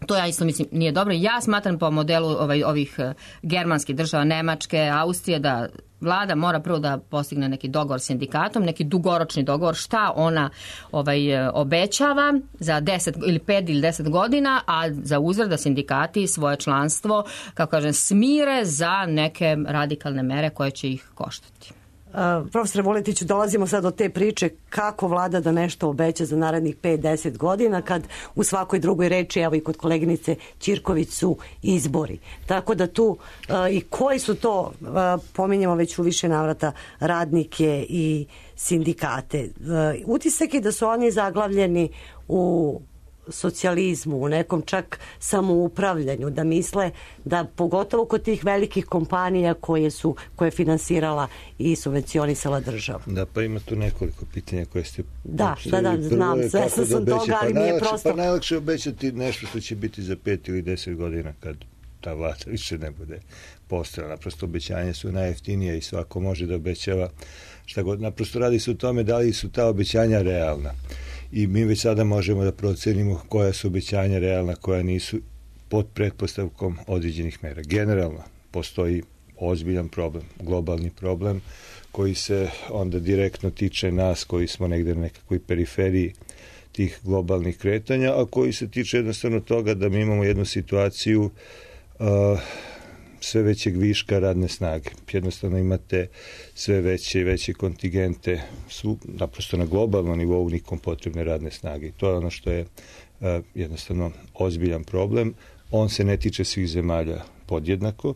To ja isto mislim nije dobro. Ja smatram po modelu ovaj, ovih germanskih država, Nemačke, Austrije, da vlada mora prvo da postigne neki dogovor s sindikatom, neki dugoročni dogovor šta ona ovaj, obećava za deset ili pet ili deset godina, a za uzvrat da sindikati svoje članstvo, kako kažem, smire za neke radikalne mere koje će ih koštati. Uh, profesore Vuletiću, dolazimo sad do te priče kako vlada da nešto obeća za narednih pet do deset godina kad u svakoj drugoj reči, evo i kod koleginice Ćirković, su izbori. Tako da tu uh, i koji su to, uh, pominjamo već u više navrata, radnike i sindikate. Uh, utisak je da su oni zaglavljeni u socijalizmu, u nekom čak samoupravljanju, da misle da pogotovo kod tih velikih kompanija koje su koje je finansirala i subvencionisala država. Da, pa ima tu nekoliko pitanja koje ste da, da, da, znam, sve sam sam toga, ali pa mi je najlakše, prosto... Pa najlakše obećati nešto što će biti za pet ili deset godina kad ta vlada više ne bude postojala. Naprosto obećanja su najjeftinije i svako može da obećava šta god. Naprosto radi se o tome da li su ta obećanja realna. I mi već sada možemo da procenimo koja su obećanja realna, koja nisu, pod pretpostavkom određenih mera. Generalno postoji ozbiljan problem, globalni problem koji se onda direktno tiče nas koji smo negde na nekakvoj periferiji tih globalnih kretanja, a koji se tiče jednostavno toga da mi imamo jednu situaciju uh, sve većeg viška radne snage. Jednostavno imate sve veće i veće kontingente, su naprosto na globalnom nivou nikom potrebne radne snage. To je ono što je uh, jednostavno ozbiljan problem. On se ne tiče svih zemalja podjednako,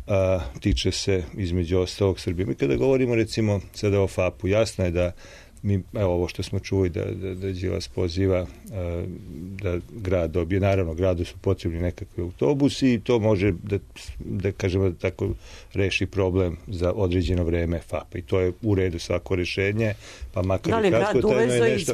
a tiče se između ostalog Srbije. Mi kada govorimo recimo sada o FAP-u, jasno je da mi, evo ovo što smo čuli da, da, da Đilas poziva a, da grad dobije, naravno gradu su potrebni nekakvi autobusi i to može da, da kažemo da tako reši problem za određeno vreme FAP-a i to je u redu svako rešenje, pa makar i kratko tajno je nešto.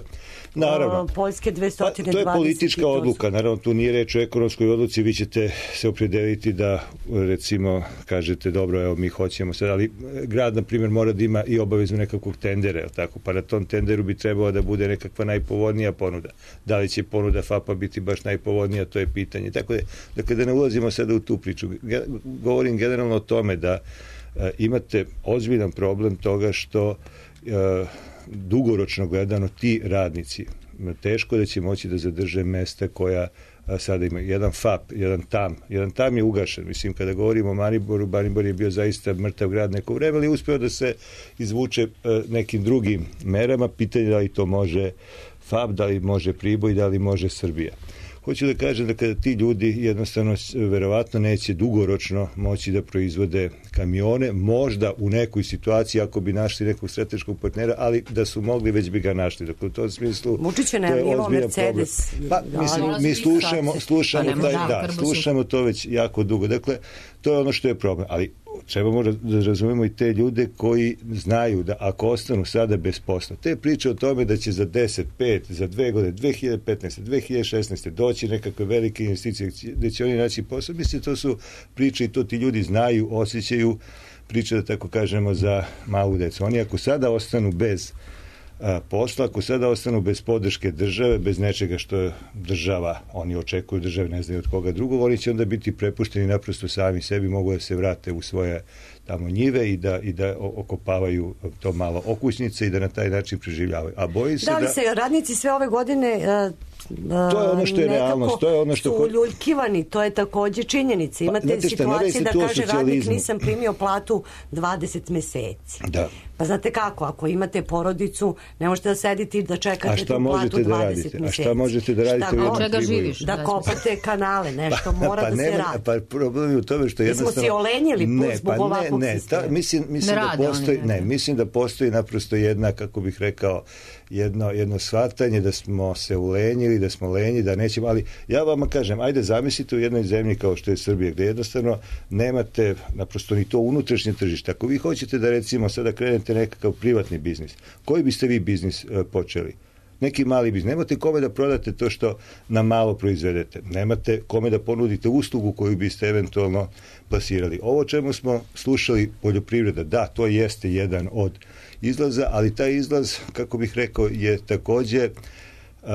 Naravno, Poljske dvesta dvadeset. Pa, to je politička odluka, naravno tu nije reč o ekonomskoj odluci, vi ćete se opredeliti da recimo kažete dobro, evo mi hoćemo sad, ali grad na primjer mora da ima i obavezu nekakvog tendera, tako, pa na tom tenderu bi trebalo da bude nekakva najpovoljnija ponuda. Da li će ponuda FAP-a biti baš najpovoljnija, to je pitanje. Tako da, dakle, da ne ulazimo sada u tu priču. Govorim generalno o tome da a, imate ozbiljan problem toga što a, dugoročno gledano ti radnici teško da će moći da zadrže mesta koja a, sada ima. Jedan FAP, jedan TAM. Jedan TAM je ugašen. Mislim, kada govorimo o Mariboru, Maribor je bio zaista mrtav grad neko vreme, ali uspeo da se izvuče a, nekim drugim merama. Pitanje da li to može FAP, da li može Priboj, da li može Srbija. Hoću da kažem da kada ti ljudi jednostavno verovatno neće dugoročno moći da proizvode kamione, možda u nekoj situaciji ako bi našli nekog strateškog partnera, ali da su mogli već bi ga našli. Dakle, u tom smislu Vučiće najavljivao Mercedes. Pa, mislim, mi slušamo, slušamo, taj, da, slušamo to već jako dugo. Dakle, to je ono što je problem. Ali trebamo da razumemo i te ljude koji znaju da ako ostanu sada bez posla, te priče o tome da će za deset, pet, za dve godine, dve hiljade petnaeste, dve hiljade šesnaeste doći nekakve velike investicije gde će oni naći posao, mislim, to su priče i to ti ljudi znaju, osjećaju, priče da tako kažemo za malu decu. Oni ako sada ostanu bez a, posla, ako sada ostanu bez podrške države, bez nečega što je država, oni očekuju države, ne znaju od koga drugog, oni će onda biti prepušteni naprosto sami sebi, mogu da se vrate u svoje tamo njive i da, i da okopavaju to malo okućnice i da na taj način preživljavaju. A bojim se da... Da li se radnici sve ove godine... Uh, to je ono što je realnost, to je ono što su uljuljkivani, to je takođe činjenica. Imate pa, situacije da kaže radnik nisam primio platu dvadeset meseci. Da. Pa znate kako, ako imate porodicu, ne možete da sedite i da čekate tu platu dvadeset da meseci. A šta možete da radite? Šta Od čega živiš? Da kopate kanale, nešto mora pa, da nema, se radi. Pa problem je u tome što jednostavno... Mi smo si olenjili ne, zbog pa ovakvog ne, ne, sistema. Ta, mislim, mislim, ne da postoji, ne, mislim da postoji naprosto jedna, kako bih rekao, jedno, jedno shvatanje da smo se ulenjili, da smo lenji, da nećemo, ali ja vama kažem, ajde zamislite u jednoj zemlji kao što je Srbija, gde jednostavno nemate naprosto ni to unutrašnje tržište. Ako vi hoćete da recimo sada krenete nekakav privatni biznis, koji biste vi biznis e, počeli? Neki mali biznis. Nemate kome da prodate to što na malo proizvedete. Nemate kome da ponudite uslugu koju biste eventualno plasirali. Ovo čemu smo slušali poljoprivreda, da, to jeste jedan od izlaza, ali taj izlaz, kako bih rekao, je takođe uh,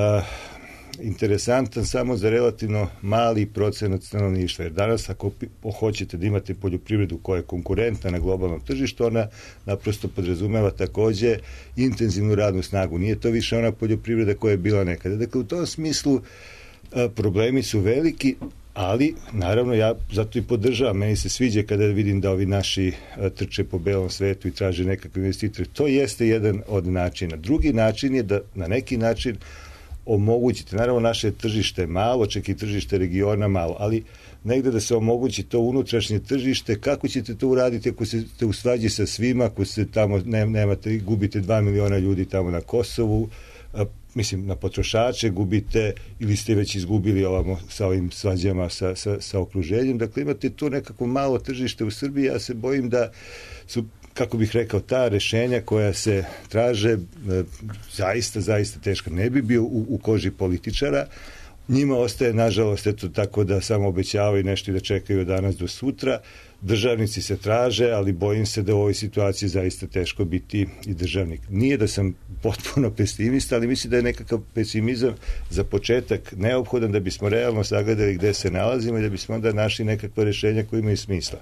interesantan samo za relativno mali procenat stanovništva. Jer danas ako hoćete da imate poljoprivredu koja je konkurentna na globalnom tržištu, ona naprosto podrazumeva takođe intenzivnu radnu snagu. Nije to više ona poljoprivreda koja je bila nekada. Dakle, u tom smislu a, problemi su veliki, ali naravno ja zato i podržavam, meni se sviđa kada vidim da ovi naši a, trče po belom svetu i traže nekakve investitore. To jeste jedan od načina. Drugi način je da na neki način omogućite, naravno naše tržište je malo, čak i tržište regiona malo, ali negde da se omogući to unutrašnje tržište, kako ćete to uraditi ako ste u svađi sa svima, ako ste tamo, ne, nemate, gubite dva miliona ljudi tamo na Kosovu, a, mislim, na potrošače, gubite ili ste već izgubili ovamo sa ovim svađama sa, sa, sa okruženjem, dakle imate tu nekako malo tržište u Srbiji, ja se bojim da su, kako bih rekao, ta rešenja koja se traže zaista, zaista teška. Ne bi bio u, u koži političara. Njima ostaje, nažalost, eto tako da samo obećavaju nešto i da čekaju od danas do sutra. Državnici se traže, ali bojim se da u ovoj situaciji zaista teško biti i državnik. Nije da sam potpuno pesimista, ali mislim da je nekakav pesimizam za početak neophodan da bismo realno sagledali gde se nalazimo i da bismo onda našli nekakva rešenja koja imaju smisla.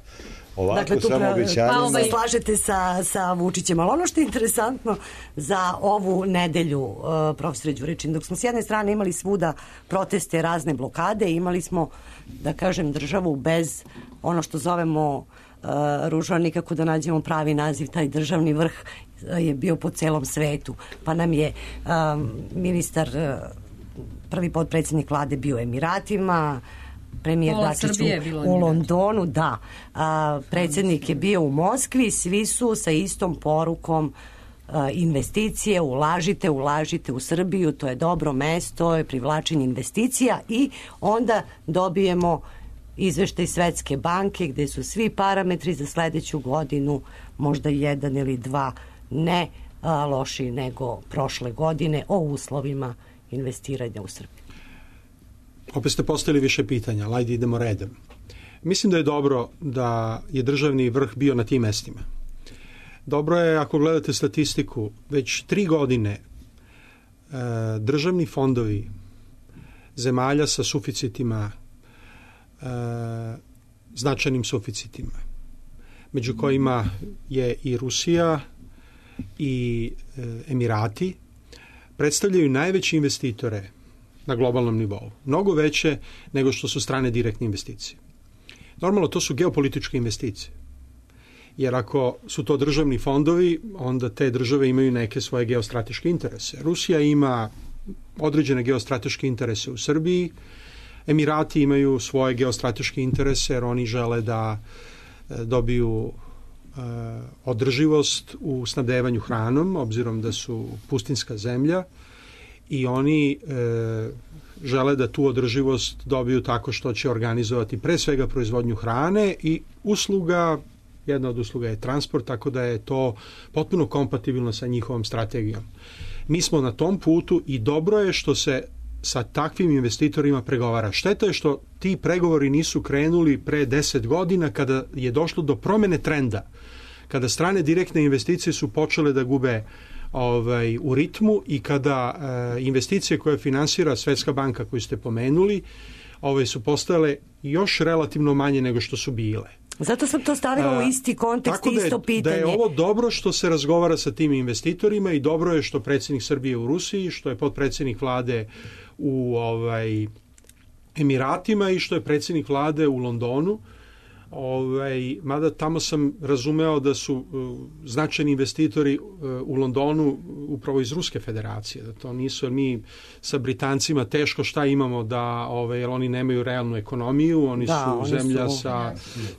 Ovako dakle, tu samo pra, obećanjima... pa ovaj... slažete sa, sa Vučićem, ali ono što je interesantno za ovu nedelju, uh, profesore Đurićin, dok smo s jedne strane imali svuda proteste, razne blokade, imali smo, da kažem, državu bez ono što zovemo uh, ružno, nikako da nađemo pravi naziv, taj državni vrh je bio po celom svetu, pa nam je um, ministar, uh, prvi potpredsjednik vlade bio u Emiratima, premijer Dačić u, u Londonu, da. A, predsjednik je bio u Moskvi, svi su sa istom porukom a, investicije, ulažite, ulažite u Srbiju, to je dobro mesto, je privlačenje investicija i onda dobijemo izveštaj Svetske banke gde su svi parametri za sledeću godinu, možda jedan ili dva, ne a, loši nego prošle godine o uslovima investiranja u Srbiju. Opet ste postavili više pitanja, ali ajde idemo redom. Mislim da je dobro da je državni vrh bio na tim mestima. Dobro je, ako gledate statistiku, već tri godine e, državni fondovi zemalja sa suficitima, e, značajnim suficitima, među kojima je i Rusija i e, Emirati, predstavljaju najveće investitore na globalnom nivou. Mnogo veće nego što su strane direktne investicije. Normalno, to su geopolitičke investicije. Jer ako su to državni fondovi, onda te države imaju neke svoje geostrateške interese. Rusija ima određene geostrateške interese u Srbiji, Emirati imaju svoje geostrateške interese jer oni žele da dobiju e, održivost u snabdevanju hranom, obzirom da su pustinska zemlja, i oni e, žele da tu održivost dobiju tako što će organizovati pre svega proizvodnju hrane i usluga, jedna od usluga je transport, tako da je to potpuno kompatibilno sa njihovom strategijom. Mi smo na tom putu i dobro je što se sa takvim investitorima pregovara. Šteta je što ti pregovori nisu krenuli pre deset godina kada je došlo do promene trenda, kada strane direktne investicije su počele da gube ovaj, u ritmu i kada e, investicije koje finansira Svetska banka koju ste pomenuli ovaj, su postale još relativno manje nego što su bile. Zato sam to stavila u isti kontekst i isto pitanje. Da je ovo dobro što se razgovara sa tim investitorima i dobro je što predsjednik Srbije u Rusiji, što je potpredsjednik vlade u ovaj, Emiratima i što je predsjednik vlade u Londonu. Ovaj, mada tamo sam razumeo da su uh, značajni investitori uh, u Londonu upravo iz Ruske federacije, da to nisu, jer mi sa Britancima teško šta imamo da, ovaj, jer oni nemaju realnu ekonomiju, oni da, su oni zemlja su, sa,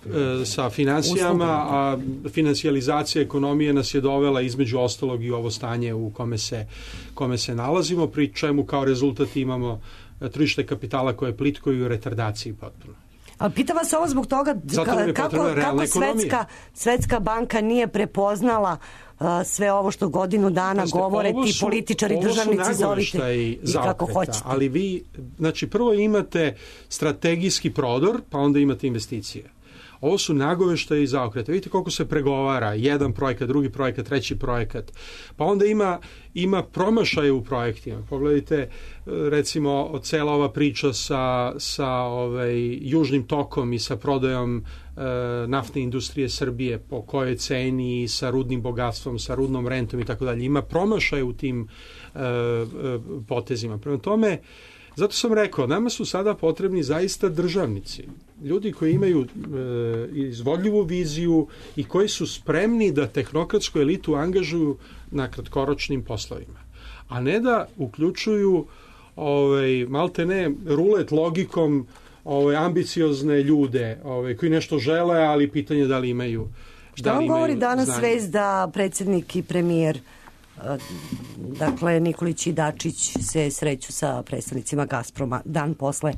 uh, sa financijama, a financijalizacija ekonomije nas je dovela između ostalog i ovo stanje u kome se, kome se nalazimo, pri čemu kao rezultat imamo tržište kapitala koje je plitko i u retardaciji potpuno. Ali pitam vas ovo zbog toga ka, kako, kako svetska, svetska banka nije prepoznala uh, sve ovo što godinu dana Pazite, govore ti su, političari, državnici, zovite i kako hoćete. Ali vi, znači prvo imate strategijski prodor, pa onda imate investicije. Ovo su nagoveštaji i zaokrete. Vidite koliko se pregovara, jedan projekat, drugi projekat, treći projekat. Pa onda ima, ima promašaje u projektima. Pogledajte, recimo, cela ova priča sa, sa ovaj, južnim tokom i sa prodajom e, naftne industrije Srbije, po kojoj ceni, sa rudnim bogatstvom, sa rudnom rentom i tako dalje. Ima promašaje u tim e, e, potezima. Prema tome, zato sam rekao, nama su sada potrebni zaista državnici. Ljudi koji imaju e, izvodljivu viziju i koji su spremni da tehnokratsku elitu angažuju na kratkoročnim poslovima. A ne da uključuju ovaj, malte ne rulet logikom ovaj, ambiciozne ljude ovaj, koji nešto žele, ali pitanje da li imaju Šta vam govori danas znanje. Vez da predsjednik i premijer, dakle Nikolić i Dačić, se sreću sa predstavnicima Gazproma dan posle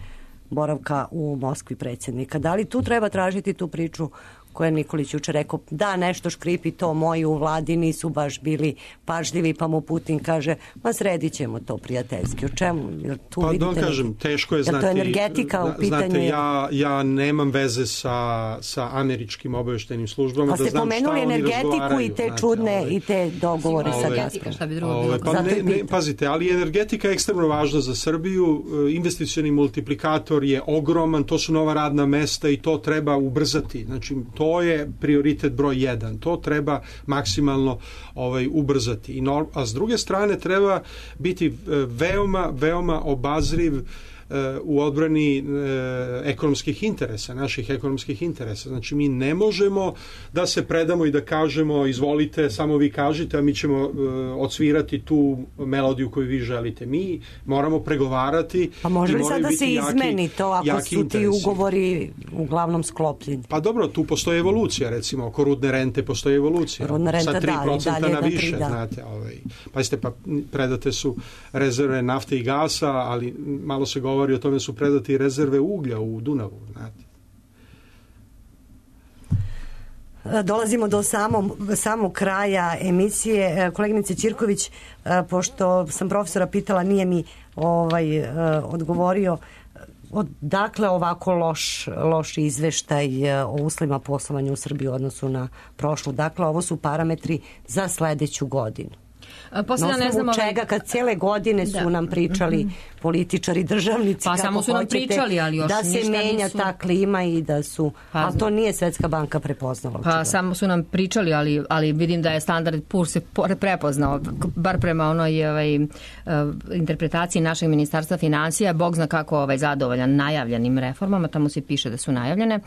boravka u Moskvi predsjednika? Da li tu treba tražiti tu priču koja je Nikolić juče rekao, da nešto škripi, to moji u vladi nisu baš bili pažljivi, pa mu Putin kaže, ma sredit ćemo to prijateljski. O čemu? Tu pa vidite, da kažem, teško je znati. Je to energetika u pitanju? Znate, ja, ja nemam veze sa, sa američkim obavještajnim službama. Pa da ste znam pomenuli energetiku i te znate, čudne ovaj, i te dogovore ovaj, sa Gazpromom. Šta bi drugo ovaj, bilo? pa ne, ne, pazite, ali energetika je ekstremno važna za Srbiju. Investicioni multiplikator je ogroman, to su nova radna mesta i to treba ubrzati. Znači, to to je prioritet broj jedan. To treba maksimalno ovaj, ubrzati. I no, a s druge strane treba biti veoma, veoma obazriv u odbrani e, ekonomskih interesa, naših ekonomskih interesa. Znači mi ne možemo da se predamo i da kažemo izvolite, samo vi kažite, a mi ćemo e, odsvirati tu melodiju koju vi želite. Mi moramo pregovarati. Pa može li sad da se jaki, izmeni to ako su interesi. Ti ugovori uglavnom sklopljeni? Pa dobro, tu postoji evolucija, recimo oko rudne rente postoji evolucija. Rudna renta, sa tri procenta da, na više, tri, da. znate. Ovaj. Pazite, pa predate su rezerve nafte i gasa, ali malo se govori o tome su predati rezerve uglja u Dunavu, znate. Dolazimo do samog, samog kraja emisije. Koleginice Ćirković, pošto sam profesora pitala, nije mi ovaj, odgovorio odakle ovako loš, loš izveštaj o uslovima poslovanja u Srbiji u odnosu na prošlu. Dakle, ovo su parametri za sledeću godinu. Posle, na osnovu ne znam, čega kad cijele godine su da. nam pričali političari, državnici, pa kako samo su nam hoćete, pričali, ali još da se menja nisu... ta klima i da su, pa, ali to nije Svetska banka prepoznala. Pa očigledno. Samo su nam pričali, ali, ali vidim da je standard P U R se prepoznao, bar prema onoj ovaj, uh, interpretaciji našeg ministarstva finansija, Bog zna kako ovaj, zadovoljan najavljenim reformama, tamo se piše da su najavljene.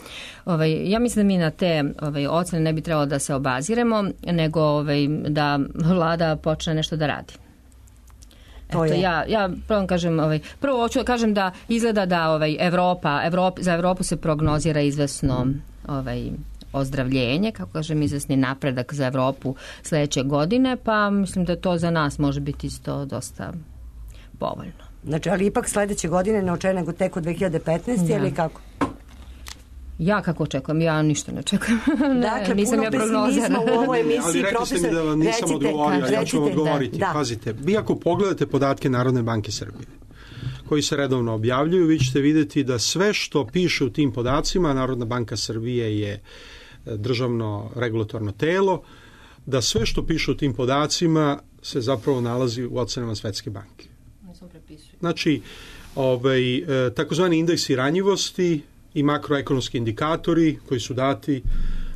Ovaj, ja mislim da mi na te ovaj, ocene ne bi trebalo da se obaziremo, nego ovaj, da vlada počne nešto da radi. Eto, ja, ja prvo kažem, ovaj, prvo hoću da kažem da izgleda da ovaj, Evropa, Evropa, za Evropu se prognozira izvesno ovaj, ozdravljenje, kako kažem, izvesni napredak za Evropu sledeće godine, pa mislim da to za nas može biti isto dosta povoljno. Znači, ali ipak sledeće godine ne očekuje nego tek od dve hiljade petnaeste. Ja. Ili kako? Ja kako očekujem? Ja ništa ne očekujem. ne, dakle, nisam puno ja pesimizma u ovoj emisiji. Ali rekli ste mi da vam nisam recite, odgovorio, ja ću vam odgovoriti. Da, da. Pazite, vi ako pogledate podatke Narodne banke Srbije, koji se redovno objavljuju, vi ćete vidjeti da sve što piše u tim podacima, Narodna banka Srbije je državno regulatorno telo, da sve što piše u tim podacima se zapravo nalazi u ocenama Svetske banke. Znači, ovaj, takozvani indeksi ranjivosti i makroekonomski indikatori koji su dati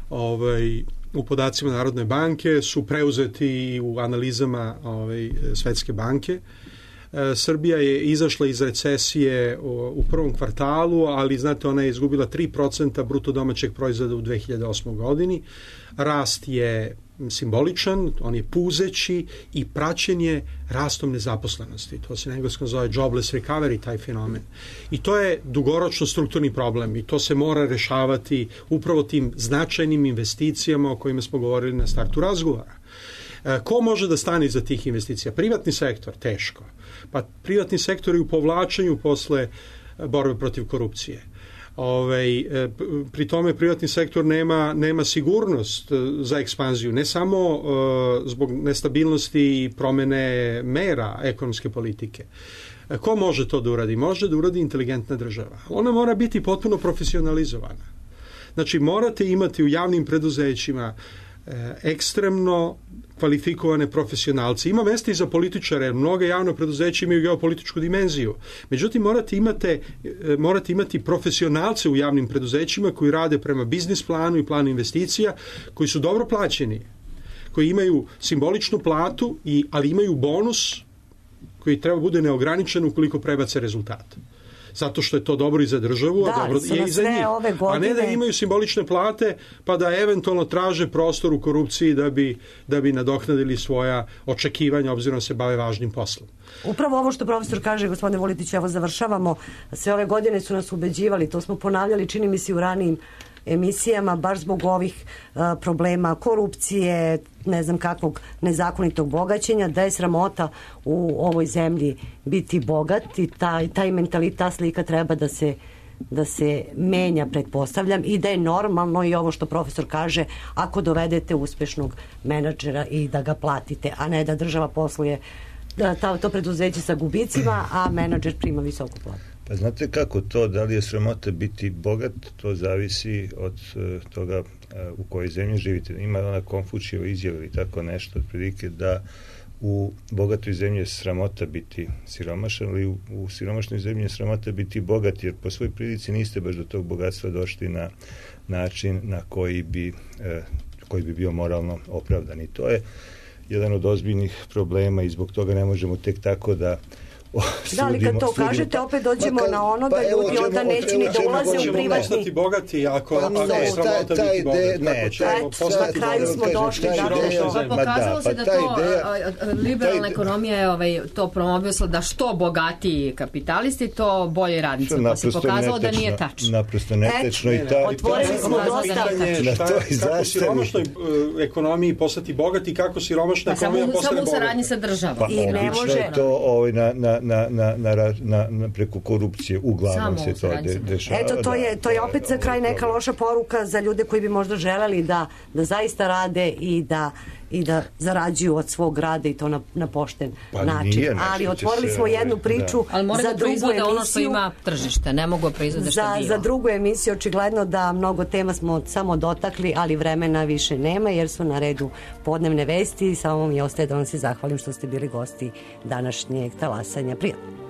ovaj, u podacima Narodne banke su preuzeti u analizama ovaj, Svetske banke. E, Srbija je izašla iz recesije u, u prvom kvartalu, ali znate ona je izgubila tri procenta bruto domaćeg proizvoda u dve hiljade osmoj godini. Rast je simboličan, on je puzeći i praćen je rastom nezaposlenosti. To se na engleskom zove jobless recovery, taj fenomen. I to je dugoročno strukturni problem i to se mora rešavati upravo tim značajnim investicijama o kojima smo govorili na startu razgovora. E, ko može da stane iza tih investicija? Privatni sektor, teško. Pa privatni sektor je u povlačenju posle borbe protiv korupcije. Ove, pri tome privatni sektor nema, nema sigurnost za ekspanziju, ne samo uh, zbog nestabilnosti i promene mera ekonomske politike. Ko može to da uradi? Može da uradi inteligentna država. Ona mora biti potpuno profesionalizovana. Znači, morate imati u javnim preduzećima ekstremno kvalifikovane profesionalce. Ima mesta i za političare, mnoge javne preduzeće imaju geopolitičku dimenziju. Međutim, morate, imate, morate imati profesionalce u javnim preduzećima koji rade prema biznis planu i planu investicija, koji su dobro plaćeni, koji imaju simboličnu platu, i, ali imaju bonus koji treba bude neograničen ukoliko prebace rezultat. Zato što je to dobro i za državu, da, a dobro je i za njih. Godine... A ne da imaju simbolične plate, pa da eventualno traže prostor u korupciji da bi, da bi nadoknadili svoja očekivanja, obzirom da se bave važnim poslom. Upravo ovo što profesor kaže, gospodine Volitić, evo završavamo, sve ove godine su nas ubeđivali, to smo ponavljali, čini mi se u ranijim emisijama, baš zbog ovih uh, problema korupcije, ne znam kakvog nezakonitog bogaćenja, da je sramota u ovoj zemlji biti bogat i taj, taj mentalitet, ta slika treba da se, da se menja, pretpostavljam, i da je normalno i ovo što profesor kaže, ako dovedete uspešnog menadžera i da ga platite, a ne da država posluje da, ta, to preduzeće sa gubicima, a menadžer prima visoku platu. Pa znate kako to, da li je sramota biti bogat, to zavisi od uh, toga uh, u kojoj zemlji živite. Ima ona Konfučijeva izjava ili tako nešto, otprilike da u bogatoj zemlji je sramota biti siromašan, ali u, u siromašnoj zemlji je sramota biti bogat, jer po svoj prilici niste baš do tog bogatstva došli na način na koji bi, eh, koji bi bio moralno opravdan. I to je jedan od ozbiljnih problema i zbog toga ne možemo tek tako da O, da, ali kad to sudimo, kažete, pa, opet dođemo pa, na ono da pa, ljudi čemu, onda neće ni da ulaze u privatni. Postati bogati ako, pa, ako je sramota ta, biti bogati. Ne, na kraju smo došli da pa pokazalo se da to liberalna ekonomija je ovaj, to promovisala da što bogatiji kapitalisti, to bolje radnici. Pa se pokazalo da nije tačno. Naprosto netečno. I ta, otvorili smo dosta. Kako siromašnoj ekonomiji postati bogati, kako siromašna ekonomija postane bogati. Samo u saradnji sa državom. Pa obično je to na Na, na, na, na, na preko korupcije uglavnom se to de, dešava. Eto, to je, to je opet za kraj neka loša poruka za ljude koji bi možda želeli da, da zaista rade i da i da zarađuju od svog rada i to na, na pošten pa način. Ali otvorili smo jednu priču da. Ali za da drugu emisiju. Ono što ima tržište, ne mogu proizvode što za, bilo. Za drugu emisiju očigledno da mnogo tema smo samo dotakli, ali vremena više nema jer su na redu podnevne vesti i samo mi ostaje da vam se zahvalim što ste bili gosti današnjeg talasanja. Prijatno.